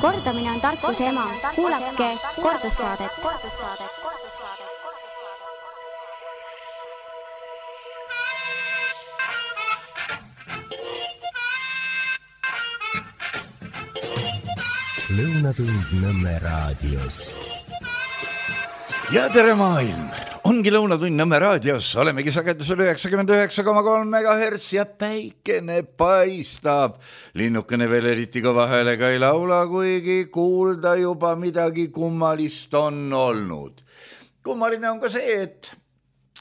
Kordamine on tarkuse ema. Kuulake kordussaadet. Lõunatund Nõmme raadios. Ja tere maailm! Ongi Lõunatund Nõmme raadios. Olemegi sagedusel 99,3 MHz ja päikene paistab. Linnukene veel eriti kõva häälega ei laula, kuigi kuulda juba midagi kummalist on olnud. Kummaline on ka see, et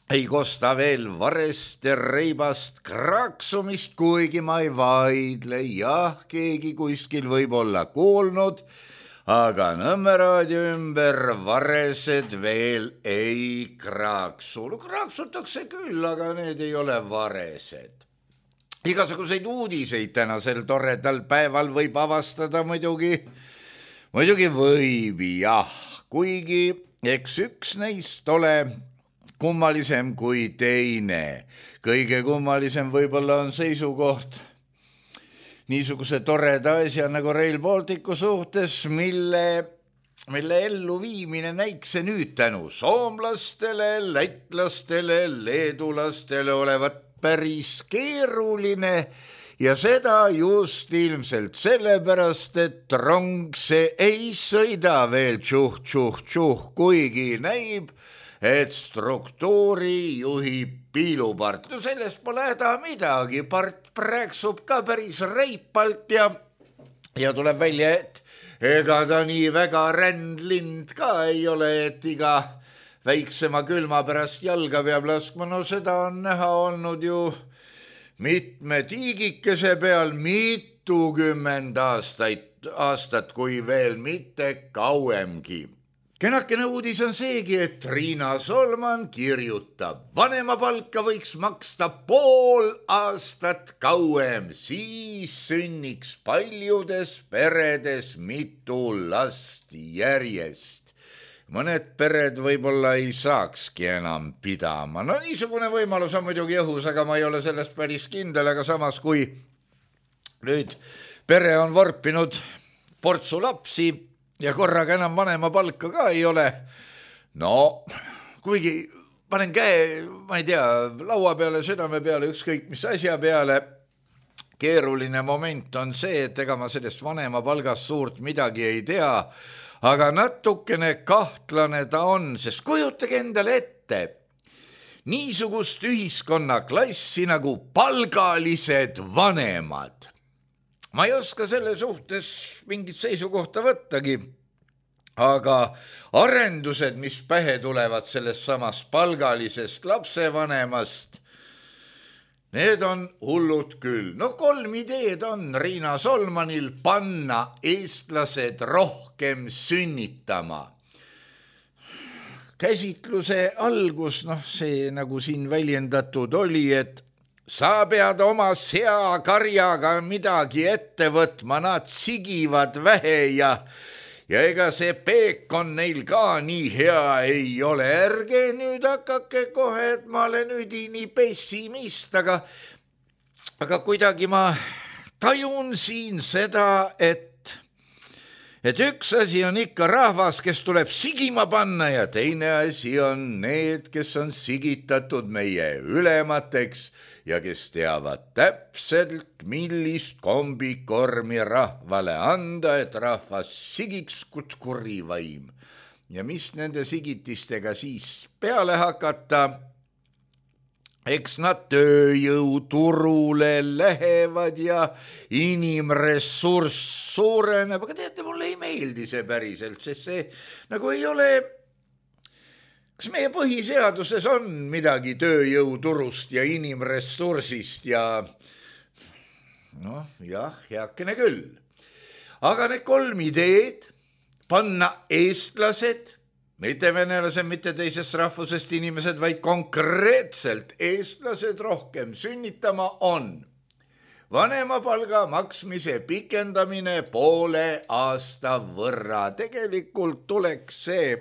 ei kosta veel varest ja reibast kraksumist, kuigi ma ei vaidle. Jah, keegi kuskil võib olla kuulnud, aga Nõmme raadio ümber varesed veel ei kraaksu. Kraaksutakse küll, aga need ei ole varesed. Igasuguseid uudiseid tänasel toredal päeval võib avastada muidugi võib, jah. Kuigi eks üks neist ole kummalisem kui teine. Kõige kummalisem võib-olla on seisukoht niisuguse toreda asja nagu Rail Balticu suhtes, mille elluviimine näikse nüüd tänu soomlastele, lätlastele, leedulastele olevat päris keeruline ja seda just ilmselt sellepärast, et rong see ei sõida veel tšuh, kuigi näib, et struktuuri juhib piilupart. No sellest pole häda midagi, part prääksub ka päris reipalt ja tuleb välja, et ega ta nii väga rändlind ka ei ole, et iga väiksema külma pärast jalga peab laskma. No seda on näha olnud ju mitme tiigikese peal mitukümmend aastat, kui veel mitte kauemgi. Kenakene uudis on seegi, et Riina Solman kirjutab, vanemapalka võiks maksta pool aastat kauem, siis sünniks paljudes peredes mitu last järjest. Mõned pered võib-olla ei saakski enam pidama. No niisugune võimalus on muidugi õhus, aga ma ei ole sellest päris kindel, aga samas kui nüüd pere on vorpinud portsu lapsi, ja korraga enam vanema palka ka ei ole. No, kuigi panen käe, ma ei tea, laua peale, südame peale, ükskõik mis asja peale. Keeruline moment on see, et ega ma sellest vanema palgast suurt midagi ei tea, aga natukene kahtlane ta on, sest kujutage endale ette niisugust ühiskonnaklassi nagu palgalised vanemad. Ma ei oska selle suhtes mingit seisukohta võttagi, aga arendused, mis pähe tulevad sellest samast palgalisest lapsevanemast, need on hullud küll. No 3 ideed on Riina Solmanil: panna eestlased rohkem sünnitama. Käsitluse algus, see nagu siin väljendatud oli, et sa pead oma seakarjaga midagi ette võtma, nad sigivad vähe ja ega see peekon neil ka nii hea ei ole. Ärge nüüd hakake kohe, et ma olen üdini pessimist, aga kuidagi ma tajun siin seda, et üks asi on ikka rahvas, kes tuleb sigima panna ja teine asi on need, kes on sigitatud meie ülemateks ja kes teavad täpselt, millist kombikormi rahvale anda, et rahvas sigiks kuri vaim. Ja mis nende sigitistega siis peale hakata? Eks nad tööjõuturule lähevad ja inimressurss suureneb, aga teate, mulle ei meeldi see päriselt, sest see nagu ei ole. Kas meie põhiseaduses on midagi tööjõuturust ja inimressursist ja jah, heakene küll. Aga need 3 ideed, panna eestlased, mitte venelased, mitte teisest rahvusest inimesed, vaid konkreetselt eestlased rohkem sünnitama on vanemapalga maksmise pikendamine poole aasta võrra. Tegelikult tuleks see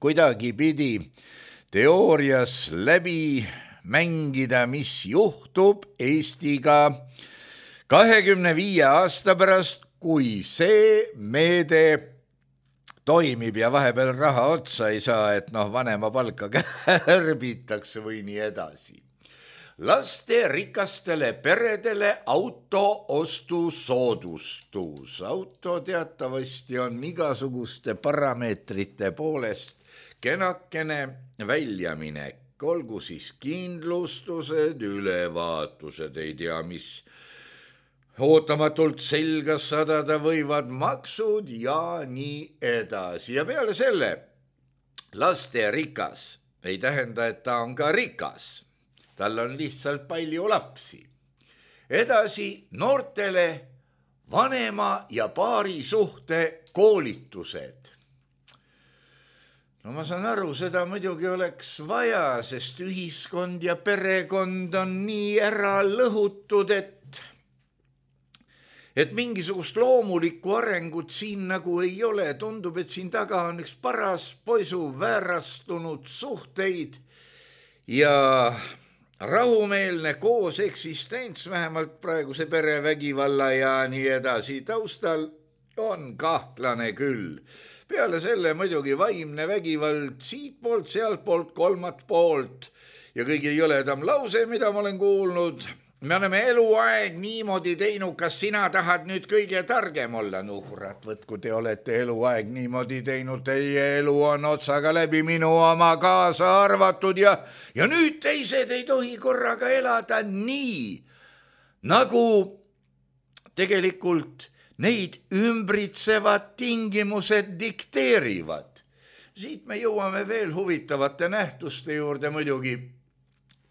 kuidagi pidi teoorias läbi mängida, mis juhtub Eestiga 25 aasta pärast, kui see meede toimib ja vahepeal raha otsa ei saa, et vanema palka kärbitakse või nii edasi. Lasterikastele peredele auto ostusoodustus. Auto teatavasti on igasuguste parameetrite poolest kenakene väljaminek. Olgu siis kindlustused, ülevaatused, ei tea mis ootamatult selga sadada võivad maksud ja nii edasi. Ja peale selle, lasterikas ei tähenda, et ta on ka rikas. Tal on lihtsalt palju lapsi. Edasi noortele vanema ja paari suhte koolitused. No ma saan aru, seda muidugi oleks vaja, sest ühiskond ja perekond on nii ära lõhutud, et mingisugust loomulikku arengut siin nagu ei ole. Tundub, et siin taga on üks paras poisu väärastunud suhteid ja rahumeelne koos eksistents, vähemalt praeguse perevägivalla ja nii edasi taustal on kahtlane küll. Peale selle muidugi vaimne vägivald siit poolt, sealt poolt, kolmat poolt ja kõige jõledam lause, mida ma olen kuulnud. Me oleme eluaeg niimoodi teinud, kas sina tahad nüüd kõige targem olla? No kurat, võtku te olete eluaeg niimoodi teinud, teie elu on otsaga läbi, minu oma kaasa arvatud ja nüüd teised ei tohi korraga elada nii, nagu tegelikult neid ümbritsevad tingimused dikteerivad. Siit me jõuame veel huvitavate nähtuste juurde muidugi.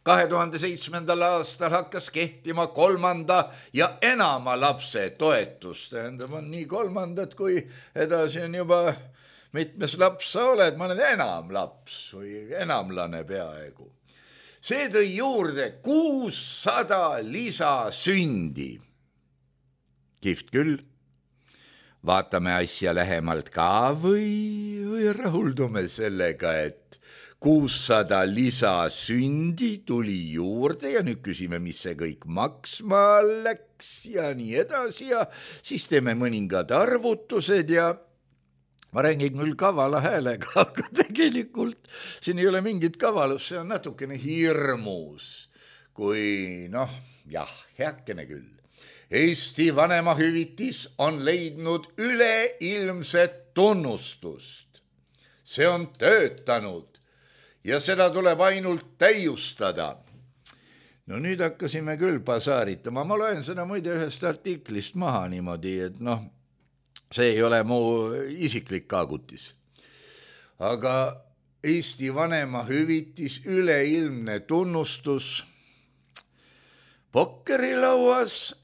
2007. aastal hakkas kehtima 3. ja enama lapse toetus. Tähendab, on nii 3. kui edasi on juba mitmes laps sa oled, ma olen enam laps või enamlane peaaegu. See tõi juurde 600 lisasündi. Kihvt küll. Vaatame asja lähemalt ka või rahuldume sellega, et 600 lisasündi tuli juurde ja nüüd küsime, mis see kõik maksma läks ja nii edasi ja siis teeme mõningad arvutused ja ma räägin küll kavala häälega, aga tegelikult siin ei ole mingit kavalust, see on natukene hirmus, kui heakene küll. Eesti vanemahüvitis on leidnud üleilmset tunnustust. See on töötanud. Ja seda tuleb ainult täiustada. No nüüd hakkasime küll pasaaritama. Ma loen seda muide ühest artiklist maha niimoodi, et see ei ole mu isiklik kaagutis. Aga Eesti vanemahüvitis, üleilmne tunnustus. Pokkerilauas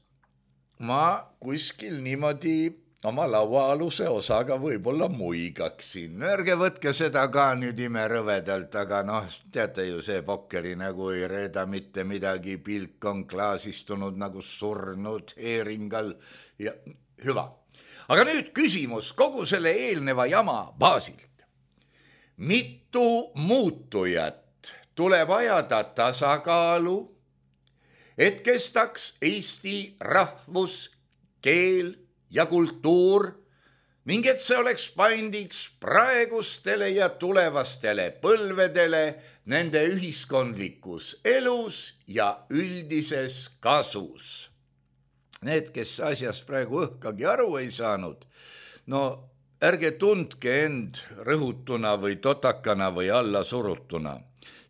ma kuskil niimoodi oma lauaaluse osaga võib-olla muigaksin. Ärge võtke seda ka nüüd imerõvedalt, aga teate ju, see pokkeri nagu ei reeda mitte midagi, pilk on klaasistunud nagu surnud heeringal ja hüva. Aga nüüd küsimus kogu selle eelneva jama baasilt. Mitu muutujat tuleb ajada tasakaalu, et kestaks Eesti rahvus, keel ja kultuur ning et see oleks paindiks praegustele ja tulevastele põlvedele nende ühiskondlikus elus ja üldises kasus. Need, kes asjast praegu õhkagi aru ei saanud, ärge tundke end rõhutuna või totakana või alla surutuna.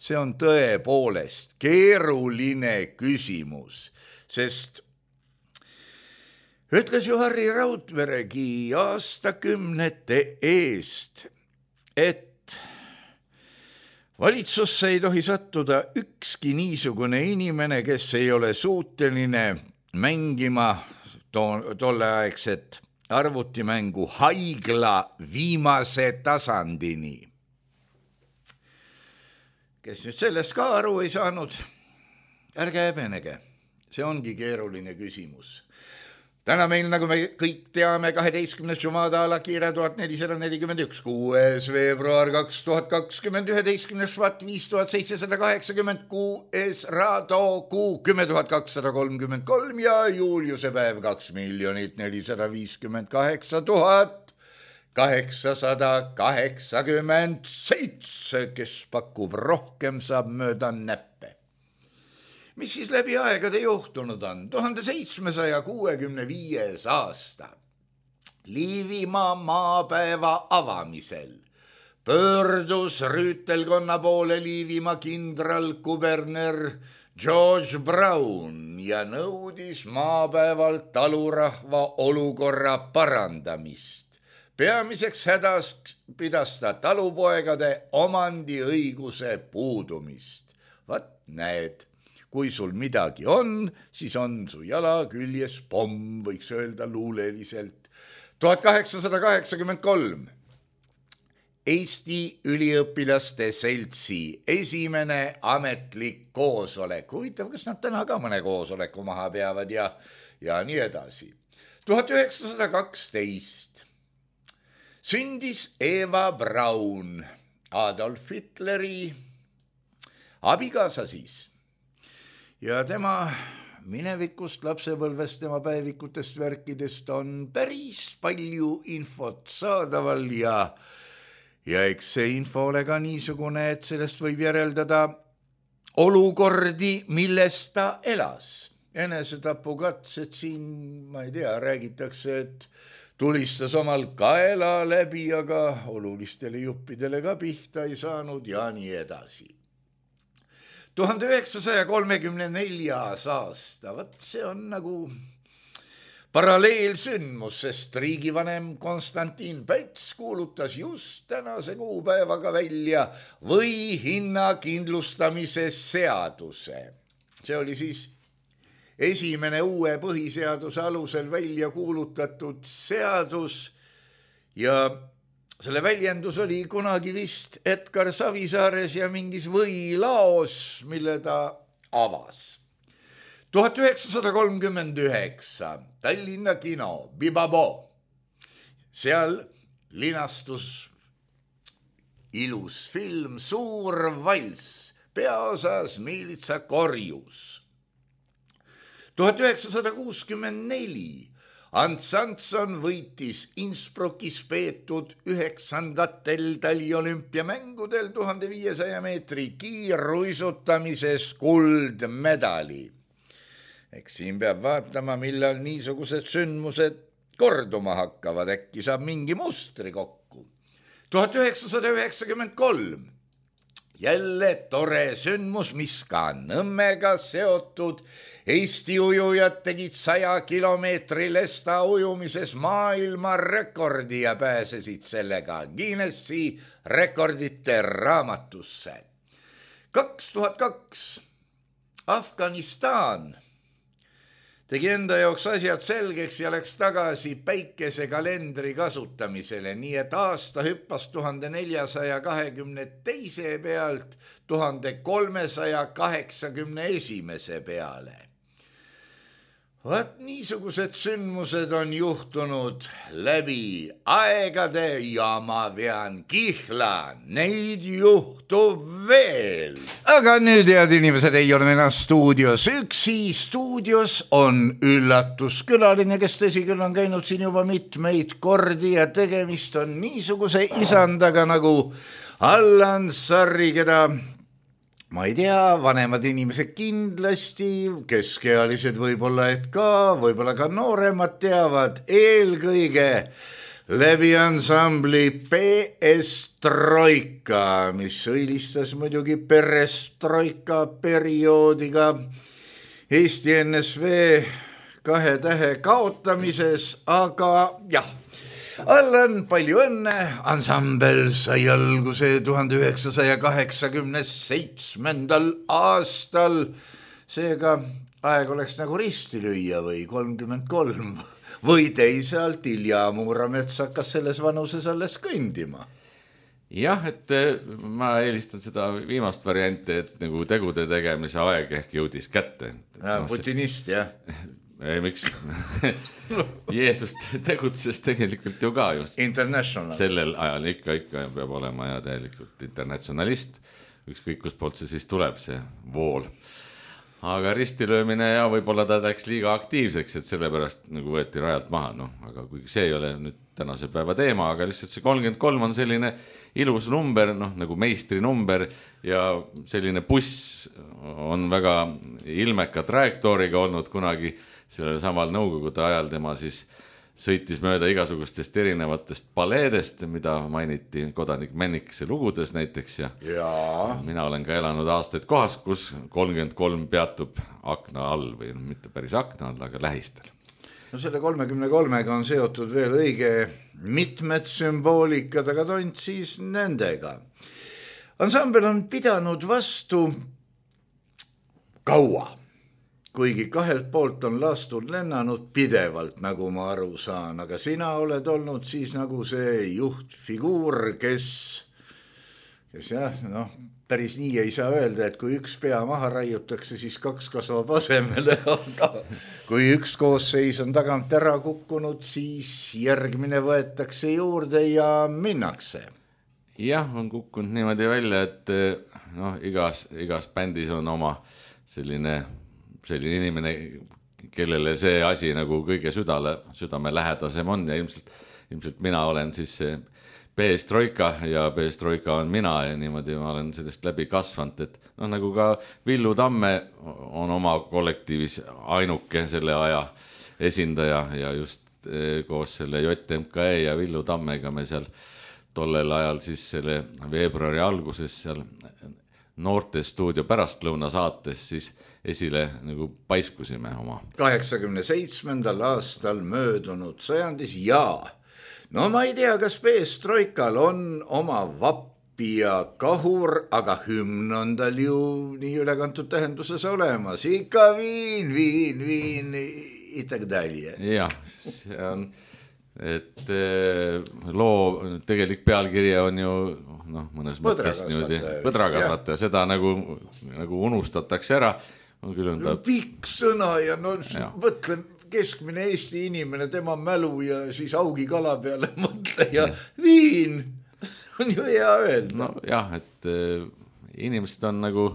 See on tõepoolest keeruline küsimus, sest ütles ju Harri Raudveregi aastakümnete eest, et valitsusse ei tohi sattuda ükski niisugune inimene, kes ei ole suuteline mängima tolleaegset arvutimängu haigla viimase tasandini. Kes nüüd sellest ka aru ei saanud, ärge häbenege, see ongi keeruline küsimus. täna meil, nagu me kõik teame, 12. Jumada Alakire 1441, 6. veebruar 2020, 11. Švat 5780, 6. Rado kuu 10,233 ja Juliuse päev 2,454,887, kes pakub rohkem, saab mööda näppe. Mis siis läbi aegade juhtunud on? 1765. aasta Liivimaa maapäeva avamisel pöördus rüütelkonna poole Liivimaa kindralkuberner George Brown ja nõudis maapäevalt talurahva olukorra parandamist. Peamiseks hädas pidas ta talupoegade omandiõiguse puudumist. Vat näed, kui sul midagi on, siis on su jala küljes pomm, võiks öelda luuleliselt. 1883 Eesti üliõpilaste seltsi esimene ametlik koosolek. Huvitav, kas nad täna ka mõne koosoleku maha peavad ja nii edasi. 1912 sündis Eva Braun, Adolf Hitleri abikaasa siis. Ja tema minevikust, lapsepõlvest, tema päevikutest, värkidest on päris palju infot saadaval ja eks see info ole ka niisugune, et sellest võib järeldada olukordi, milles ta elas. Enesetapukatsed siin, ma ei tea, räägitakse, et tulistas omal kaela läbi, aga olulistele juppidele ka pihta ei saanud ja nii edasi. 1934. aasta, vat see on nagu paralleelsündmus, sest riigivanem Konstantin Päts kuulutas just tänase kuupäevaga välja või hinnakindlustamise seaduse. See oli siis esimene uue põhiseaduse alusel välja kuulutatud seadus ja selle väljendus oli kunagi vist Edgar Savisaares ja mingis võilaos, mille ta avas. 1939 Tallinna kino Bibabo. Seal linastus ilus film Suur valss, peaosas Miilitsa Korjus. 1964 Ants Antson võitis Innsbruckis peetud 9. taliolümpiamängudel 1500 meetri kiirruisutamises kuldmedali. Eks siin peab vaatama, millal niisugused sündmused korduma hakkavad, äkki saab mingi mustri kokku. 1993 jälle tore sündmus, mis ka Nõmmega seotud. Eesti ujujad tegid 100 kilomeetri lesta ujumises maailma rekordi ja pääsesid sellega Guinessi rekordite raamatusse. 2002 Afganistan tegi enda jaoks asjad selgeks ja läks tagasi päikesekalendri kasutamisele, nii et aasta hüppas 1422 pealt 1381 peale. Vaat niisugused sündmused on juhtunud läbi aegade ja ma vean kihla, neid juhtub veel. Aga nüüd, head inimesed, ei ole enam stuudios üksi. Stuudios on üllatuskülaline, kes tõsi küll on käinud siin juba mitmeid kordi ja tegemist on niisuguse isandaga nagu Allan Sarri, keda ma ei tea, vanemad inimesed kindlasti, keskealised võib-olla ka nooremad teavad eelkõige läbi ansambli Perestroika, mis õilistas muidugi perestroika perioodiga Eesti NSV 2 tähe kaotamises, aga jah, Allan, palju õnne, ansambel sai alguse 1987. aastal, seega aeg oleks nagu risti lüüa või 33 või teisalt Ilja Muuramets hakkas selles vanuses alles kõndima. Jah, et ma eelistan seda viimast varianti, et nagu tegude tegemise aeg ehk jõudis kätte. Putinist, jah. Ei, miks? Jeesus tegutses tegelikult ju ka just International. Sellel ajal ikka peab olema ja täielikult internatsionalist, ükskõik kus poolt see siis tuleb, see vool. Aga ristilöömine ja võib-olla ta läks liiga aktiivseks, et sellepärast nagu võeti rajalt maha, no, aga kuigi see ei ole nüüd tänase päeva teema, aga lihtsalt see 33 on selline ilus number, noh, nagu meistri number ja selline buss on väga ilmeka trajektooriga olnud kunagi sellel samal nõukogude ajal, tema siis sõitis mööda igasugustest erinevatest paleedest, mida mainiti Kodanik Männikese lugudes näiteks ja mina olen ka elanud aastaid kohas, kus 33 peatub akna all või mitte päris akna all, aga lähistel. No selle 33-ga on seotud veel õige mitmed sümboolikad, aga tont siis nendega. Ansambel on pidanud vastu kaua. Kuigi kahelt poolt on lastud lennanud pidevalt, nagu ma aru saan, aga sina oled olnud siis nagu see juhtfiguur, kes jah, noh, päris nii ei saa öelda, et kui üks pea maha raiutakse, siis kaks kasvab asemele, aga kui üks koosseis on tagant ära kukkunud, siis järgmine võetakse juurde ja minnakse. Jah, on kukkunud niimoodi välja, et noh, igas bändis on oma selline inimene, kellele see asi nagu kõige südame lähedasem on ja ilmselt mina olen siis see Perestroika ja Perestroika on mina ja niimoodi ma olen sellest läbi kasvanud, et noh, nagu ka Villu Tamme on oma kollektiivis ainuke selle aja esindaja ja just koos selle JMKE ja Villu Tammega me seal tollel ajal siis selle veebruari alguses seal Noortestuudio pärastlõuna saates siis esile nagu paiskusime oma. 87. aastal möödunud sajandis ja no ma ei tea, kas Perestroikal on oma vappi ja kahur, aga hümn on tal ju nii ülekantud tähenduses olemas. Ikka viin, itagdalje. Jah, see on, et loo tegelik pealkirja on ju mõnes mõttes põdrakasvataja, seda nagu unustatakse ära. Pikk sõna ja mõtlen keskmine Eesti inimene, tema mälu ja siis augi kala peale mõtle ja viin on ju hea öelda. No jah, et inimesed on nagu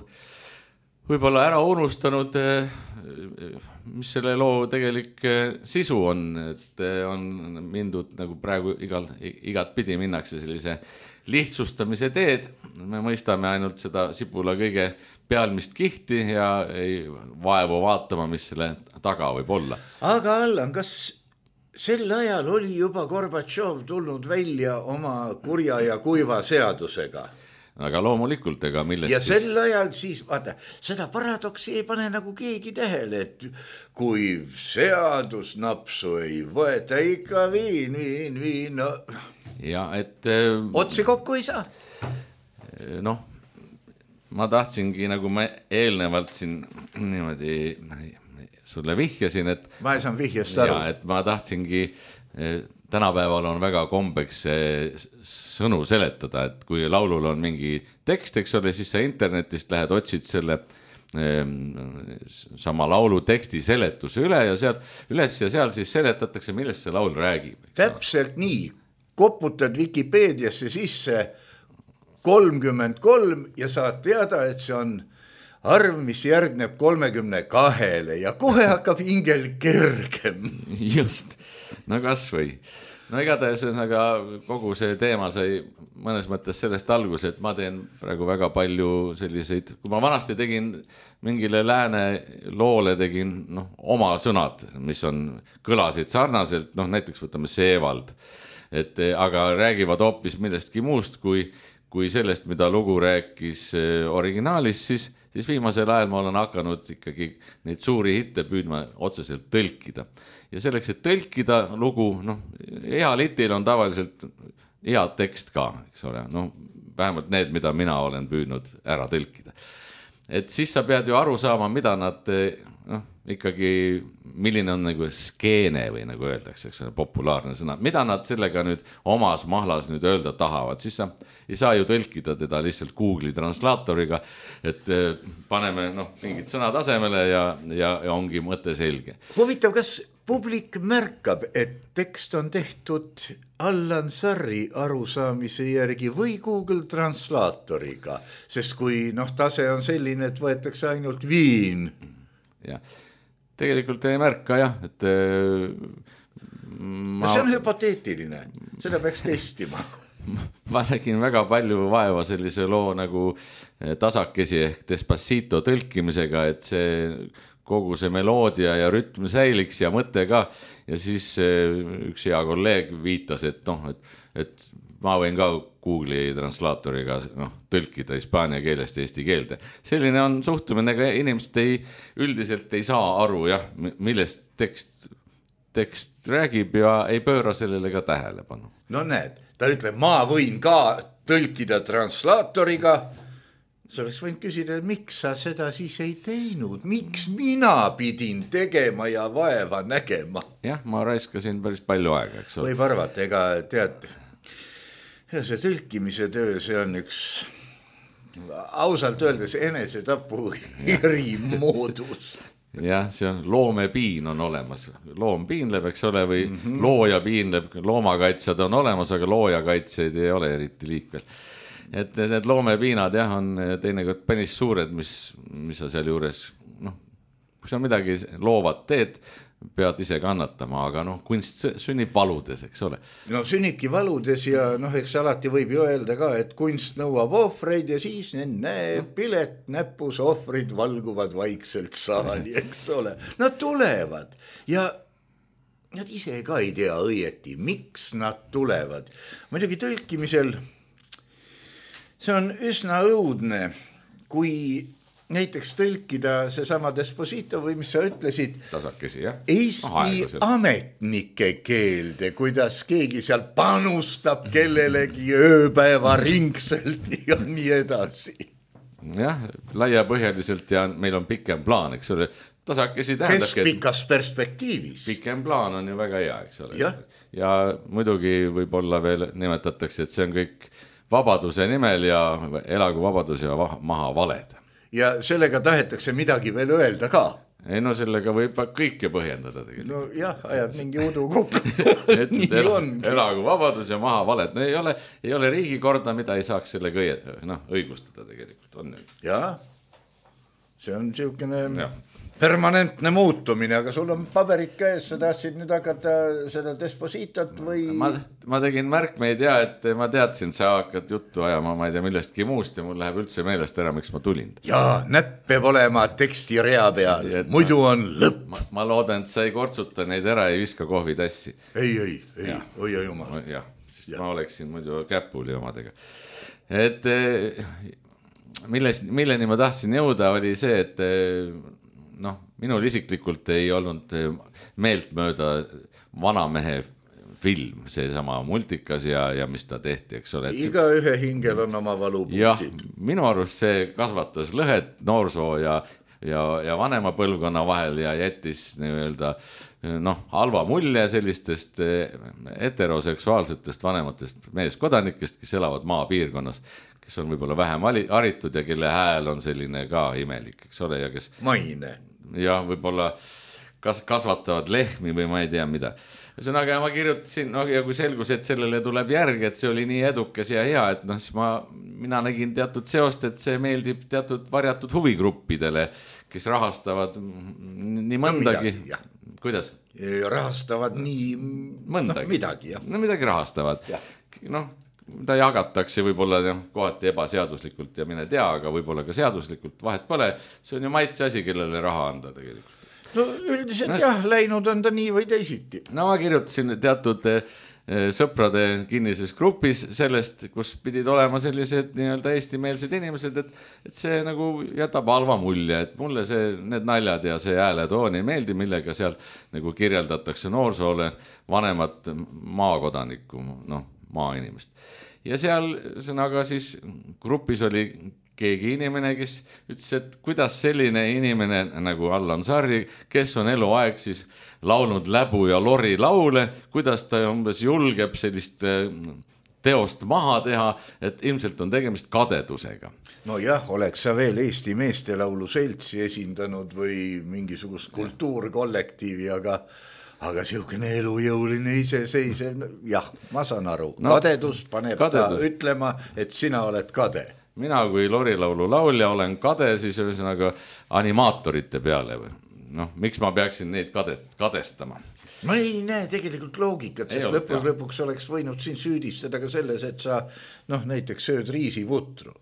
võib-olla ära unustanud, mis selle loo tegelik sisu on, et on mindud nagu praegu igat pidi minnakse sellise lihtsustamise teed. Me mõistame ainult seda sibula kõige pealmist kihti ja ei vaevu vaatama, mis selle taga võib olla. Aga Allan, kas sel ajal oli juba Gorbatšov tulnud välja oma kurja ja kuiva seadusega? Aga loomulikult, ega millest ja sel ajal siis, vaata, seda paradoksi ei pane nagu keegi tähele, et kuiv seadus napsu ei võeta, ikka viin, no. Ja, et otsi kokku ei saa. Noh, ma tahtsingi, nagu ma eelnevalt siin niimoodi sulle vihjasin, et ma ei saan vihjast aru. Ja, et ma tahtsingi, tänapäeval on väga kombeks sõnu seletada, et kui laulul on mingi tekst, eks ole, siis sa internetist lähed, otsid selle sama laulu teksti seletuse üle ja sealt üles ja seal siis seletatakse, millest see laul räägib. Täpselt nii, koputad Wikipeediasse sisse 33 ja saad teada, et see on arv, mis järgneb 32 ja kohe hakkab hingel kergem. Just, no kas või. No igatahes kogu see teema sai mõnes mõttes sellest alguse, et ma teen praegu väga palju selliseid, kui ma vanasti tegin mingile lääne loole, tegin oma sõnad, mis kõlasid sarnaselt, näiteks võtame Seevald, aga räägivad hoopis millestki muust kui sellest, mida lugu rääkis originaalis, siis viimasel ajal ma olen hakanud ikkagi neid suuri hitte püüdma otseselt tõlkida. Ja selleks, et tõlkida lugu, heal hitil on tavaliselt hea tekst ka, eks ole, vähemalt need, mida mina olen püüdnud ära tõlkida. et siis sa pead ju aru saama, mida nad ikkagi, milline on nagu skeene või nagu öeldakse, eks ole, populaarne sõna, mida nad sellega nüüd omas mahlas nüüd öelda tahavad, siis sa ei saa ju tõlkida teda lihtsalt Google'i translaatoriga, et paneme mingid sõnad asemele ja ongi mõte selge. Huvitav, kas publik märkab, et tekst on tehtud Allan Sarri arusaamise järgi või Google translaatoriga, sest kui tase on selline, et võetakse ainult viin. Jah. Tegelikult ei märka jah, et see on hüpoteetiline, seda peaks testima. Ma nägin väga palju vaeva sellise loo nagu tasakesi ehk Despacito tõlkimisega, et kogu see meloodia ja rütm säiliks ja mõte ka ja siis üks hea kolleeg viitas, et ma võin ka Google'i translaatoriga tõlkida hispaania keelest eesti keelde. Selline on suhtumine, aga inimesed üldiselt ei saa aru, millest tekst räägib ja ei pööra sellele ka tähelepanu. No näed, ta ütleb, ma võin ka tõlkida translaatoriga. Sa oleks võinud küsida, miks sa seda siis ei teinud? Miks mina pidin tegema ja vaeva nägema? Jah, ma raiskasin päris palju aega, eks ole. Võib arvata, ega tead, see tõlkimise töö, see on üks ausalt öeldes enesetapu erimoodus. Jah, see on loomepiin on olemas. Loom piinleb, eks ole, või looja piinleb, loomakaitsjad on olemas, aga loojakaitsjaid ei ole eriti liikvel. Et need loomepiinad on teinekord päris suured, mis sa seal juures, kui sa midagi loovat teed, pead ise kannatama, aga kunst sünnib valudes, eks ole. No sünnibki valudes ja eks alati võib ju öelda ka, et kunst nõuab ohvreid ja siis pilet näpus, ohvrid valguvad vaikselt saali, eks ole. Nad tulevad ja nad ise ka ei tea õieti, miks nad tulevad. Muidugi tõlkimisel see on üsna õudne, kui näiteks tõlkida seesama Despacito või mis sa ütlesid, tasakesi, jah? Eesti ametnike keelde, kuidas keegi seal panustab kellelegi ööpäeva ringselt ja nii edasi. Jah, laiapõhjaliselt ja meil on pikem plaan, eks ole. Tasakesi tähendab, keskpikas perspektiivis. Pikem plaan on ju väga hea, eks ole. Ja muidugi võib-olla veel nimetatakse, et see on kõik vabaduse nimel ja elagu vabadus ja maha valed. Ja sellega tahetakse midagi veel öelda ka. Ei sellega võib kõike põhjendada tegelikult. No jah, ajad mingi udu kokku. Elagu vabadus ja maha valed. No ei ole riigikorda, mida ei saaks selle õigustada tegelikult. On ju. Jah, see on siukene permanentne muutumine, aga sul on paberid käes, sa tahtsid nüüd hakata seda Despacitot või? Ma tegin märkmeid et ma teadsin, sa hakkad juttu ajama, ma ei tea millestki muust ja mul läheb üldse meelest ära, miks ma tulin. Jaa, näpp peab olema teksti rea peal, muidu on lõpp. Ma loodan, et sa ei kortsuta neid ära, ei viska kohvitassi. Ei, oi jumal. Jah, sest ma oleksin muidu käpuli omadega. Et milleni ma tahtsin jõuda, oli see, et minul isiklikult ei olnud meeltmööda vanamehe film, see sama multikas ja mis ta tehti, eks ole. Iga ühe hingel on oma valupunktid. Jah, minu arust see kasvatas lõhet noorsoo ja vanema põlvkonna vahel ja jättis nii-öelda halva mulje sellistest heteroseksuaalsetest vanematest meeskodanikest, kes elavad maapiirkonnas, kes on võib-olla vähem haritud ja kelle hääl on selline ka imelik, eks ole, ja kes maine. Ja võib-olla kasvatavad lehmi või ma ei tea mida. Ühesõnaga ma kirjutasin, ja kui selgus, et sellele tuleb järg, et see oli nii edukas ja hea, et siis mina nägin teatud seost, et see meeldib teatud varjatud huvigruppidele, kes rahastavad nii mõndagi. Kuidas? Rahastavad nii midagi. Midagi rahastavad. Ta jagatakse võib-olla kohati ebaseaduslikult ja mine tea, aga võib-olla ka seaduslikult, vahet pole. See on ju maitse asi, kellele raha anda tegelikult. No üldiselt läinud on ta nii või teisiti. Ma kirjutasin teatud sõprade kinnises grupis sellest, kus pidid olema sellised nii-öelda eestimeelsed inimesed, et see nagu jätab halva mulje, et mulle need naljad ja see hääletoon ei meeldi, millega seal nagu kirjeldatakse noorsoole vanemat maakodanikku, maainimest. Ja seal sõnaga siis grupis oli keegi inimene, kes ütles, et kuidas selline inimene nagu Allan Sarri, kes on eluaeg siis laulnud Läbu ja Lori laule, kuidas ta umbes julgeb sellist teost maha teha, et ilmselt on tegemist kadedusega. No jah, oleks sa veel Eesti meestelaulu seltsi esindanud või mingisugust kultuurkollektiivi, aga siukene elujõuline iseseisev, jah, ma saan aru, kadedus paneb ta ütlema, et sina oled kade. Mina kui Lori laulu laulja olen kade siis ühesõnaga animaatorite peale või? Noh, miks ma peaksin neid kadestama? Ma ei näe tegelikult loogikat, sest lõpuks oleks võinud siin süüdistada ka selles, et sa näiteks sööd riisiputru.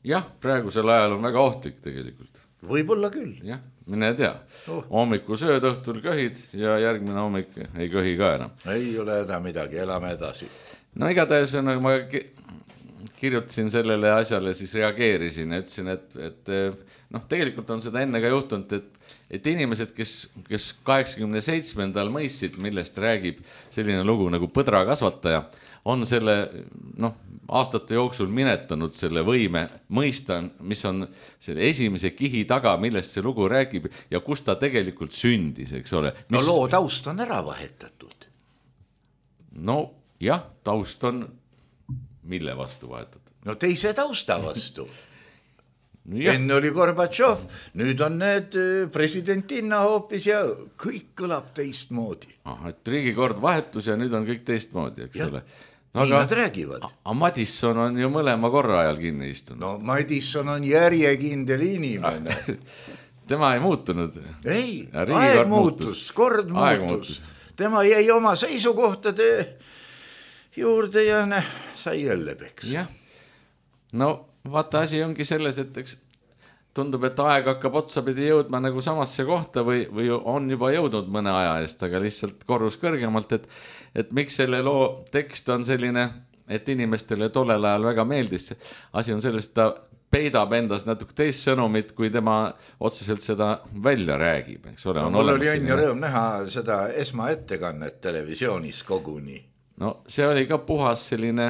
Jah, praegusel ajal on väga ohtlik tegelikult. Võib-olla küll. Jah, mine tea. Hommiku sööd, õhtul köhid ja järgmine hommik ei köhi ka enam. Ei ole häda midagi, elame edasi. No igatahes ma kirjutasin sellele asjale, siis reageerisin ja ütlesin, et tegelikult on seda enne ka juhtunud, et inimesed, kes 87. mõistsid, millest räägib selline lugu nagu Põdra kasvataja, on selle aastate jooksul minetanud selle võime mõista, mis on selle esimese kihi taga, millest see lugu räägib ja kus ta tegelikult sündis, eks ole. No loo taust on ära vahetatud. No jah, taust on mille vastu vahetatud? No teise tausta vastu. Enne oli Gorbatšov, nüüd on need presidentinna hoopis ja kõik kõlab teistmoodi. Et riigikord vahetus ja nüüd on kõik teistmoodi, eks ole. Nii nad räägivad. Madisson on ju mõlema korra ajal kinni istunud. No Madisson on järjekindel inimene. Tema ei muutunud. Ei, aeg muutus, kord muutus. Tema jäi oma seisukohtade juurde ja sai jälle peks. Jah, no vaata asi ongi selles, et eks tundub, et aeg hakkab otsapidi jõudma nagu samasse kohta või on juba jõudnud mõne aja eest, aga lihtsalt korrus kõrgemalt, et miks selle loo tekst on selline, et inimestele tollel ajal väga meeldis. Asi on sellest, ta peidab endas natuke teist sõnumit, kui tema otseselt seda välja räägib. Mul oli õnn ja rõõm näha seda esmaettekannet televisioonis koguni. No see oli ka puhas selline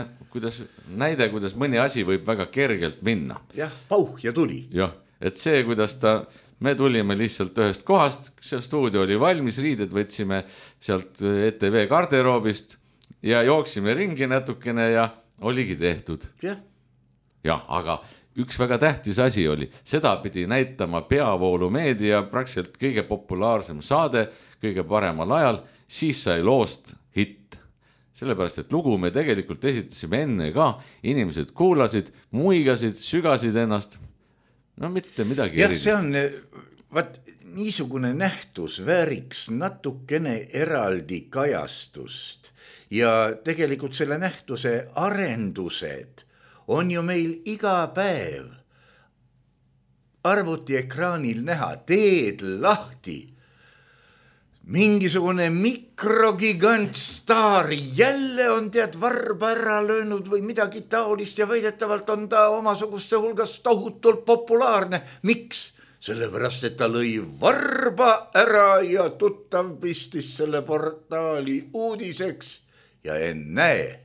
näide, kuidas mõni asi võib väga kergelt minna. Jah, pauh ja tuli. Jah, et see, kuidas me tulime lihtsalt ühest kohast, see stuudio oli valmis, riided võtsime sealt ETV garderoobist ja jooksime ringi natukene ja oligi tehtud. Jah, aga üks väga tähtis asi oli, seda pidi näitama peavoolumeedia, praktiliselt kõige populaarsem saade, kõige paremal ajal, siis sai loost hitt. Sellepärast, et lugu me tegelikult esitasime enne ka, inimesed kuulasid, muigasid, sügasid ennast, no mitte midagi erilist. See on, niisugune nähtus vääriks natukene eraldi kajastust ja tegelikult selle nähtuse arendused on ju meil iga päev arvutiekraanil näha, teed lahti. Mingisugune mikrogigant staar jälle on varba ära löönud või midagi taolist ja väidetavalt on ta omasuguste hulgas tohutult populaarne. Miks? Sellepärast, et ta lõi varba ära ja tuttav pistis selle portaali uudiseks ja ennäe.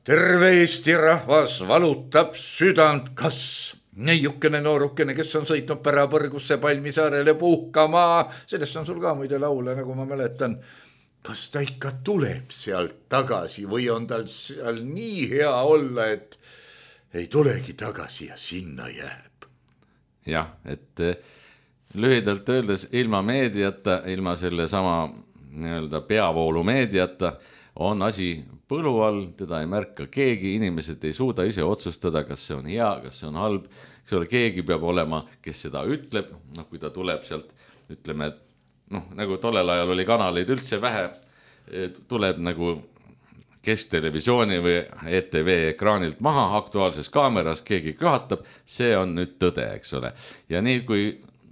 Terve Eesti rahvas valutab südant, kas neiukene noorukene, kes on sõitnud Pärapõrgusse Palmisaarele puhkama, sellest on sul ka muide laule, nagu ma mäletan. Kas ta ikka tuleb sealt tagasi või on tal seal nii hea olla, et ei tulegi tagasi ja sinna jääb? Jah, et lühidalt öeldes ilma meediata, ilma selle sama peavoolu meediata on asi põlu all, teda ei märka keegi, inimesed ei suuda ise otsustada, kas see on hea, kas see on halb, eks ole, keegi peab olema, kes seda ütleb, kui ta tuleb sealt, ütleme, nagu tollel ajal oli kanaleid üldse vähe, tuleb nagu kesktelevisiooni või ETV ekraanilt maha, aktuaalses kaameras keegi köhatab, see on nüüd tõde, eks ole. Ja nii kui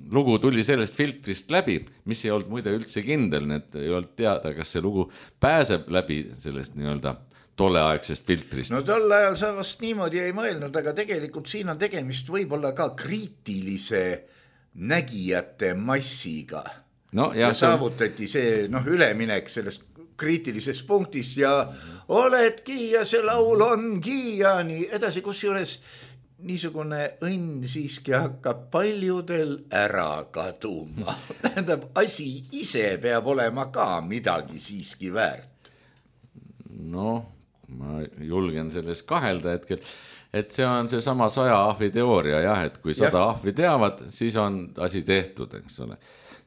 lugu tuli sellest filtrist läbi, mis ei olnud muide üldse kindel, et ei olnud teada, kas see lugu pääseb läbi sellest tolleaegsest filtrist. No tol ajal sa vast niimoodi ei mõelnud, aga tegelikult siin on tegemist võib-olla ka kriitilise nägijate massiga. No, ja saavutati see üleminek sellest kriitilisest punktist ja oledki ja see laul ongi ja nii edasi, kusjuures niisugune õnn siiski hakkab paljudel ära kaduma. Tähendab, asi ise peab olema ka midagi siiski väärt. No, ma julgen selles kahelda hetkel, et see on see sama 100 ahvi teooria, jah, et kui 100 ahvi teavad, siis on asi tehtud, eks ole.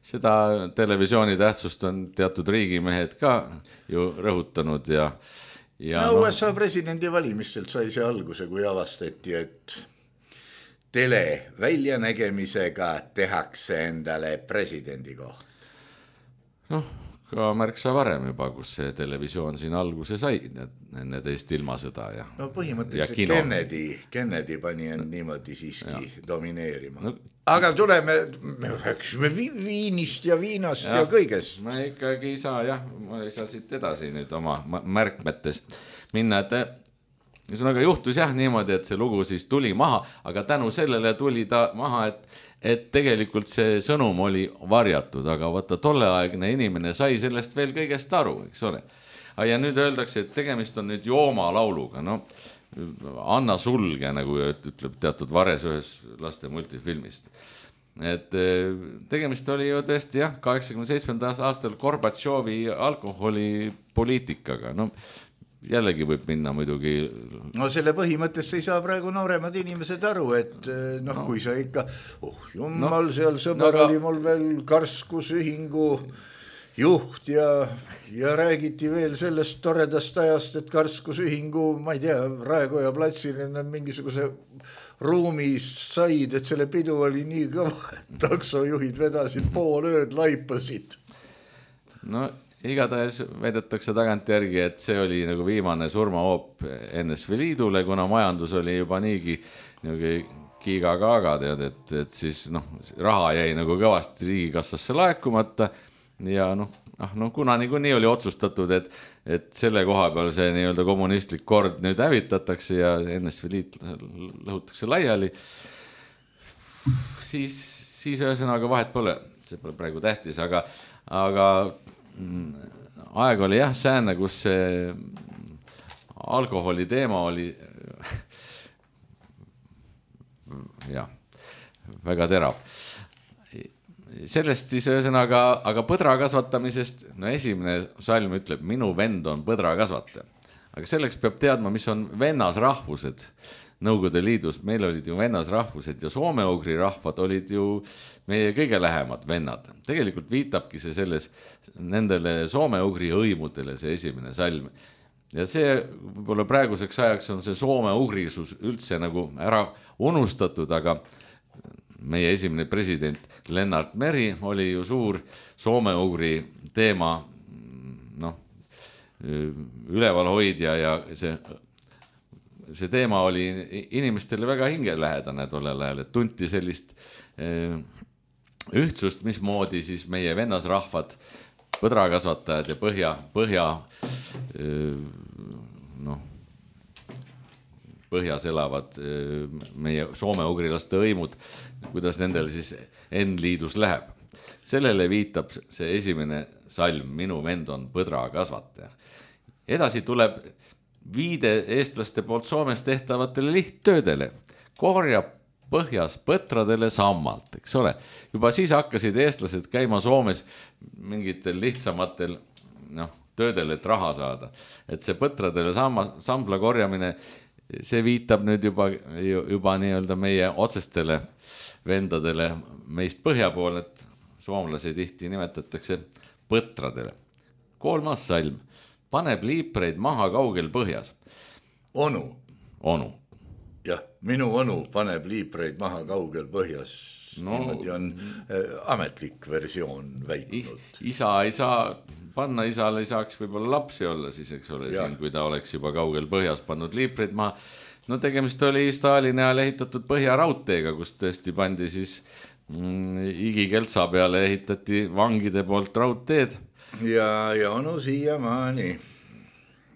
Seda televisiooni tähtsust on teatud riigimehed ka ju rõhutanud ja USA presidendi valimistelt sai see alguse, kui avastati, et tele väljanägemisega tehakse endale presidendi koht. Noh, ka märksa varem juba, kus see televisioon siin alguse sai enne teist ilmasõda ja no põhimõtteliselt Kennedy pani end niimoodi siiski domineerima. No, aga tuleme, me rääksime viinist ja viinast ja kõigest. Ma ikkagi ma ei saa siit edasi nüüd oma märkmetes minna, et ühesõnaga juhtus niimoodi, et see lugu siis tuli maha, aga tänu sellele tuli ta maha, et tegelikult see sõnum oli varjatud, aga vaata tolleaegne inimene sai sellest veel kõigest aru, eks ole. Ja nüüd öeldakse, et tegemist on nüüd Jooma lauluga, no Anna sulge, nagu ütleb teatud Vares ühes laste multifilmist. Et tegemist oli ju tõesti 87. aastal Gorbatšovi alkoholipoliitikaga, no jällegi võib minna muidugi. No selle põhimõttest ei saa praegu nooremad inimesed aru, et kui sa ikka, jumal, seal sõber oli mul veel karskusühingu juht ja räägiti veel sellest toredast ajast, et karskusühingu, ma ei tea, Raekoja platsil mingisuguse ruumis said, et selle pidu oli nii kõva, et taksojuhid vedasid pool ööd laipasid. No igatahes väidetakse tagantjärgi, et see oli nagu viimane surmahoop NSV Liidule, kuna majandus oli juba niigi kiiga-kaaga, et siis raha jäi nagu kõvasti riigikassasse laekumata ja kuna niikuinii oli otsustatud, et selle koha peal see nii-öelda kommunistlik kord nüüd hävitatakse ja NSV Liit lõhutakse laiali, siis ühesõnaga vahet pole, see pole praegu tähtis, aga aeg oli sääne, kus see alkoholi teema oli väga terav. Sellest siis ühesõnaga, aga põdra kasvatamisest, esimene salm ütleb, minu vend on põdra kasvataja. Aga selleks peab teadma, mis on vennasrahvused Nõukogude Liidus. Meil olid ju vennasrahvused ja soome-ugri rahvad olid ju meie kõige lähemad vennad. Tegelikult viitabki see selles nendele soome-ugri hõimudele see esimene salm. Ja see võib-olla praeguseks ajaks on see soome-ugrisus üldse nagu ära unustatud, aga meie esimene president Lennart Meri oli ju suur soome-ugri teema ülevalhoidja ja see teema oli inimestele väga hingelähedane tollel ajal, et tunti sellist ühtsust, mismoodi siis meie vennasrahvad, põdrakasvatajad ja põhjas elavad meie soome-ugrilaste hõimud, kuidas nendel siis N-liidus läheb. Sellele viitab see esimene salm, minu vend on põdrakasvataja. Edasi tuleb viide eestlaste poolt Soomes tehtavatele lihttöödele. Korjab põhjas põtradele sammalt, eks ole. Juba siis hakkasid eestlased käima Soomes mingitel lihtsamatel töödel, et raha saada. Et see põtradele sambla korjamine, see viitab nüüd juba nii-öelda meie otsestele vendadele meist põhja pool, et soomlasi tihti nimetatakse põtradele. 3. salm. Paneb liipreid maha kaugel põhjas. Onu. Jah, minu onu paneb liipreid maha kaugel põhjas. Niimoodi on ametlik versioon väitnud. Isa ei saa panna, isal ei saaks võib-olla lapsi olla siis, eks ole, siin, kui ta oleks juba kaugel põhjas pannud liipreid maha. No tegemist oli Stalini ajal ehitatud põhjaraudteega, kus tõesti pandi siis Igikeltsa peale ehitati vangide poolt raudteed. Ja onu siiamaani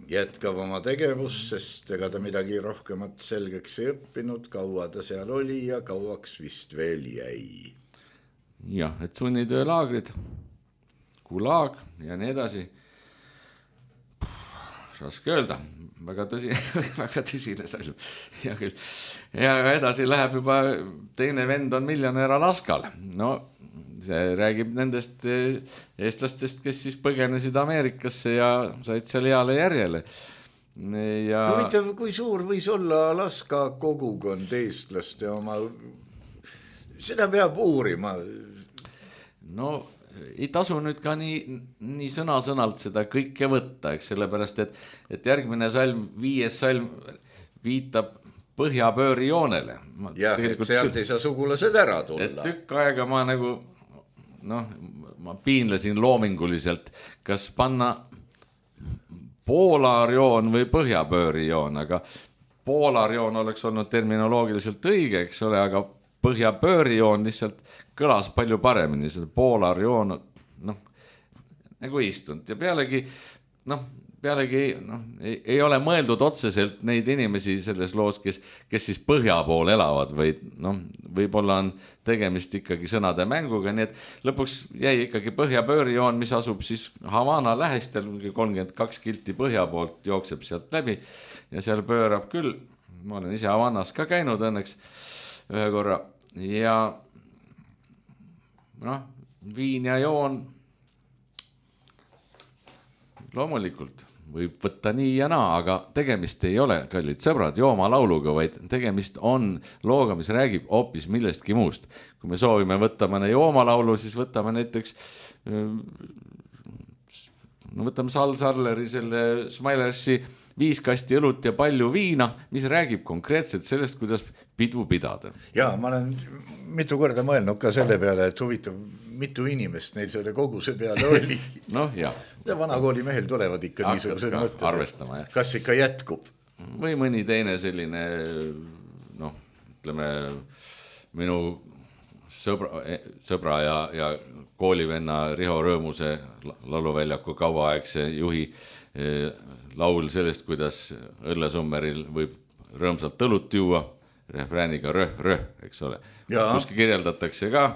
jätkab oma tegevust, sest ega ta midagi rohkemat selgeks ei õppinud, kaua ta seal oli ja kauaks vist veel jäi. Jah, et sunnitöölaagrid, gulag ja nii edasi. raske öelda, väga tõsine salm. Ja edasi läheb juba teine vend on miljonär Alaskal. No see räägib nendest eestlastest, kes siis põgenesid Ameerikasse ja said seal heale järjele. Ja... Huvitav, kui suur võis olla Alaska kogukond eestlaste oma, seda peab uurima. No ei tasu nüüd ka nii sõna-sõnalt seda kõike võtta, eks sellepärast, et järgmine salm, 5. salm viitab põhjapööri joonele. Jah, et sealt ei saa sugulased ära tulla. Et tükk aega ma nagu, ma piinlesin loominguliselt, kas panna poolarjoon või põhjapöörijoon, aga poolarjoon oleks olnud terminoloogiliselt õige, eks ole, aga põhjapöörijoon lihtsalt kõlas palju paremini, seda poolarjoon, nagu istunud ja pealegi ei ole mõeldud otseselt neid inimesi selles loos, kes siis põhja pool elavad, või võib-olla on tegemist ikkagi sõnade mänguga, nii et lõpuks jäi ikkagi põhjapöörijoon, mis asub siis Havana lähistel, 32 kilti põhja poolt jookseb sealt läbi ja seal pöörab küll, ma olen ise Havanas ka käinud õnneks ühe korra ja viin ja joon loomulikult võib võtta nii ja naa, aga tegemist ei ole, kallid sõbrad, joomalauluga, vaid tegemist on looga, mis räägib hoopis millestki muust. Kui me soovime võtta mõne joomalaulu, siis võtame näiteks võtame Sal Sarleri selle Smilersi 5 kasti õlut ja palju viina, mis räägib konkreetselt sellest, kuidas pidu pidada. Ja ma olen mitu korda mõelnud ka selle peale, et huvitav, mitu inimest neil selle koguse peale oli. Jah. Vanakooli mehel tulevad ikka niisugused mõtted. Arvestama, jah. Kas ikka jätkub? Või mõni teine selline, ütleme, minu sõbra ja koolivenna Riho Rõõmuse lauluväljaku kauaaegse juhi laul sellest, kuidas õllesummeril võib rõõmsalt õlut juua, refrääniga röh, eks ole. Kuski kirjeldatakse ka,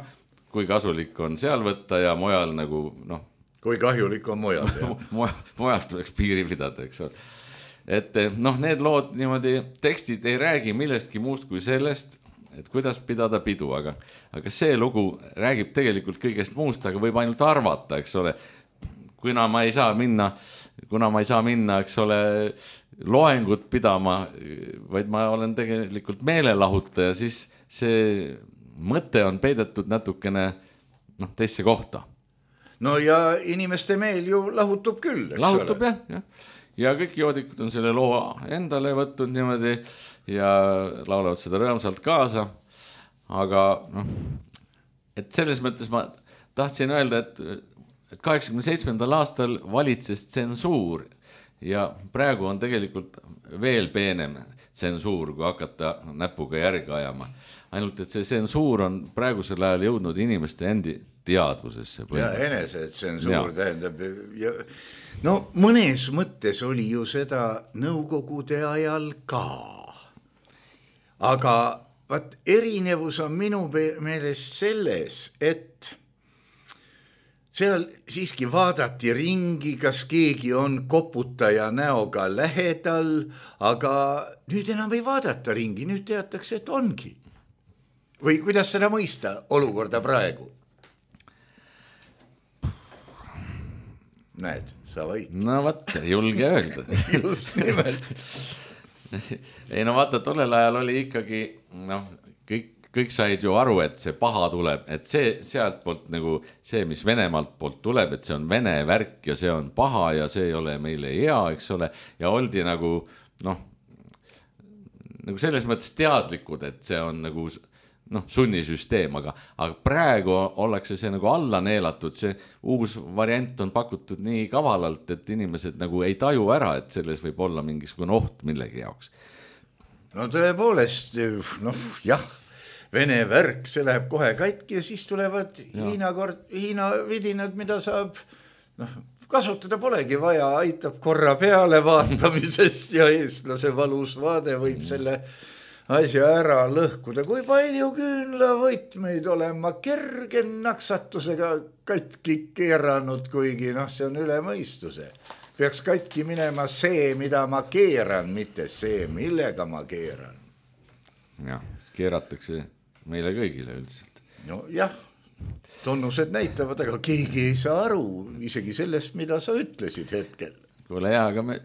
kui kasulik on seal võtta ja mujal nagu, kui kahjulik on mujal. Mujalt tuleks piiri pidada, eks ole. Et need lood niimoodi, tekstid ei räägi millestki muust kui sellest, et kuidas pidada pidu, aga see lugu räägib tegelikult kõigest muust, aga võib ainult arvata, eks ole. Kuna ma ei saa minna, eks ole, loengut pidama, vaid ma olen tegelikult meelelahutaja, siis see mõte on peidetud natukene teisse kohta. No ja inimeste meel ju lahutub küll, eks lahutub, ole? Jah. Ja kõik joodikud on selle loo endale võtnud niimoodi ja laulavad seda rõõmsalt kaasa. Aga et selles mõttes ma tahtsin öelda, et 87. aastal valitses tsensuur ja praegu on tegelikult veel peenem tsensuur, kui hakata näpuga järge ajama. Ainult, et see tsensuur on praegusel ajal jõudnud inimeste endi teadvusesse. Ja enese tsensuur tähendab. Mõnes mõttes oli ju seda nõukogude ajal ka. Aga erinevus on minu meelest selles, et seal siiski vaadati ringi, kas keegi on koputaja näoga lähedal, aga nüüd enam ei vaadata ringi, nüüd teatakse, et ongi. Või kuidas seda mõista olukorda praegu? Näed, sa võid. Julge öelda. Just nimelt. Ei vaata, tollel ajal oli ikkagi, kõik said ju aru, et see paha tuleb, et see sealt poolt nagu see, mis Venemaalt poolt tuleb, et see on vene värk ja see on paha ja see ei ole meile hea, eks ole, ja oldi nagu selles mõttes teadlikud, et see on nagu sunnisüsteem, aga praegu ollakse see nagu alla neelatud, see uus variant on pakutud nii kavalalt, et inimesed nagu ei taju ära, et selles võib olla mingisugune oht millegi jaoks. Tõepoolest, jah, Vene värk, see läheb kohe katki ja siis tulevad Hiina vidinad, mida saab kasutada polegi vaja, aitab korra peale vaatamisest ja eestlase valus vaade võib selle asja ära lõhkuda. Kui palju küünlavõtmeid olen ma kerge naksatusega katki keeranud, kuigi see on üle mõistuse. peaks katki minema see, mida ma keeran, mitte see, millega ma keeran. Jah, keeratakse meile kõigile üldiselt. No jah, tunnused näitavad, aga keegi ei saa aru isegi sellest, mida sa ütlesid hetkel. Kuule jaa, aga me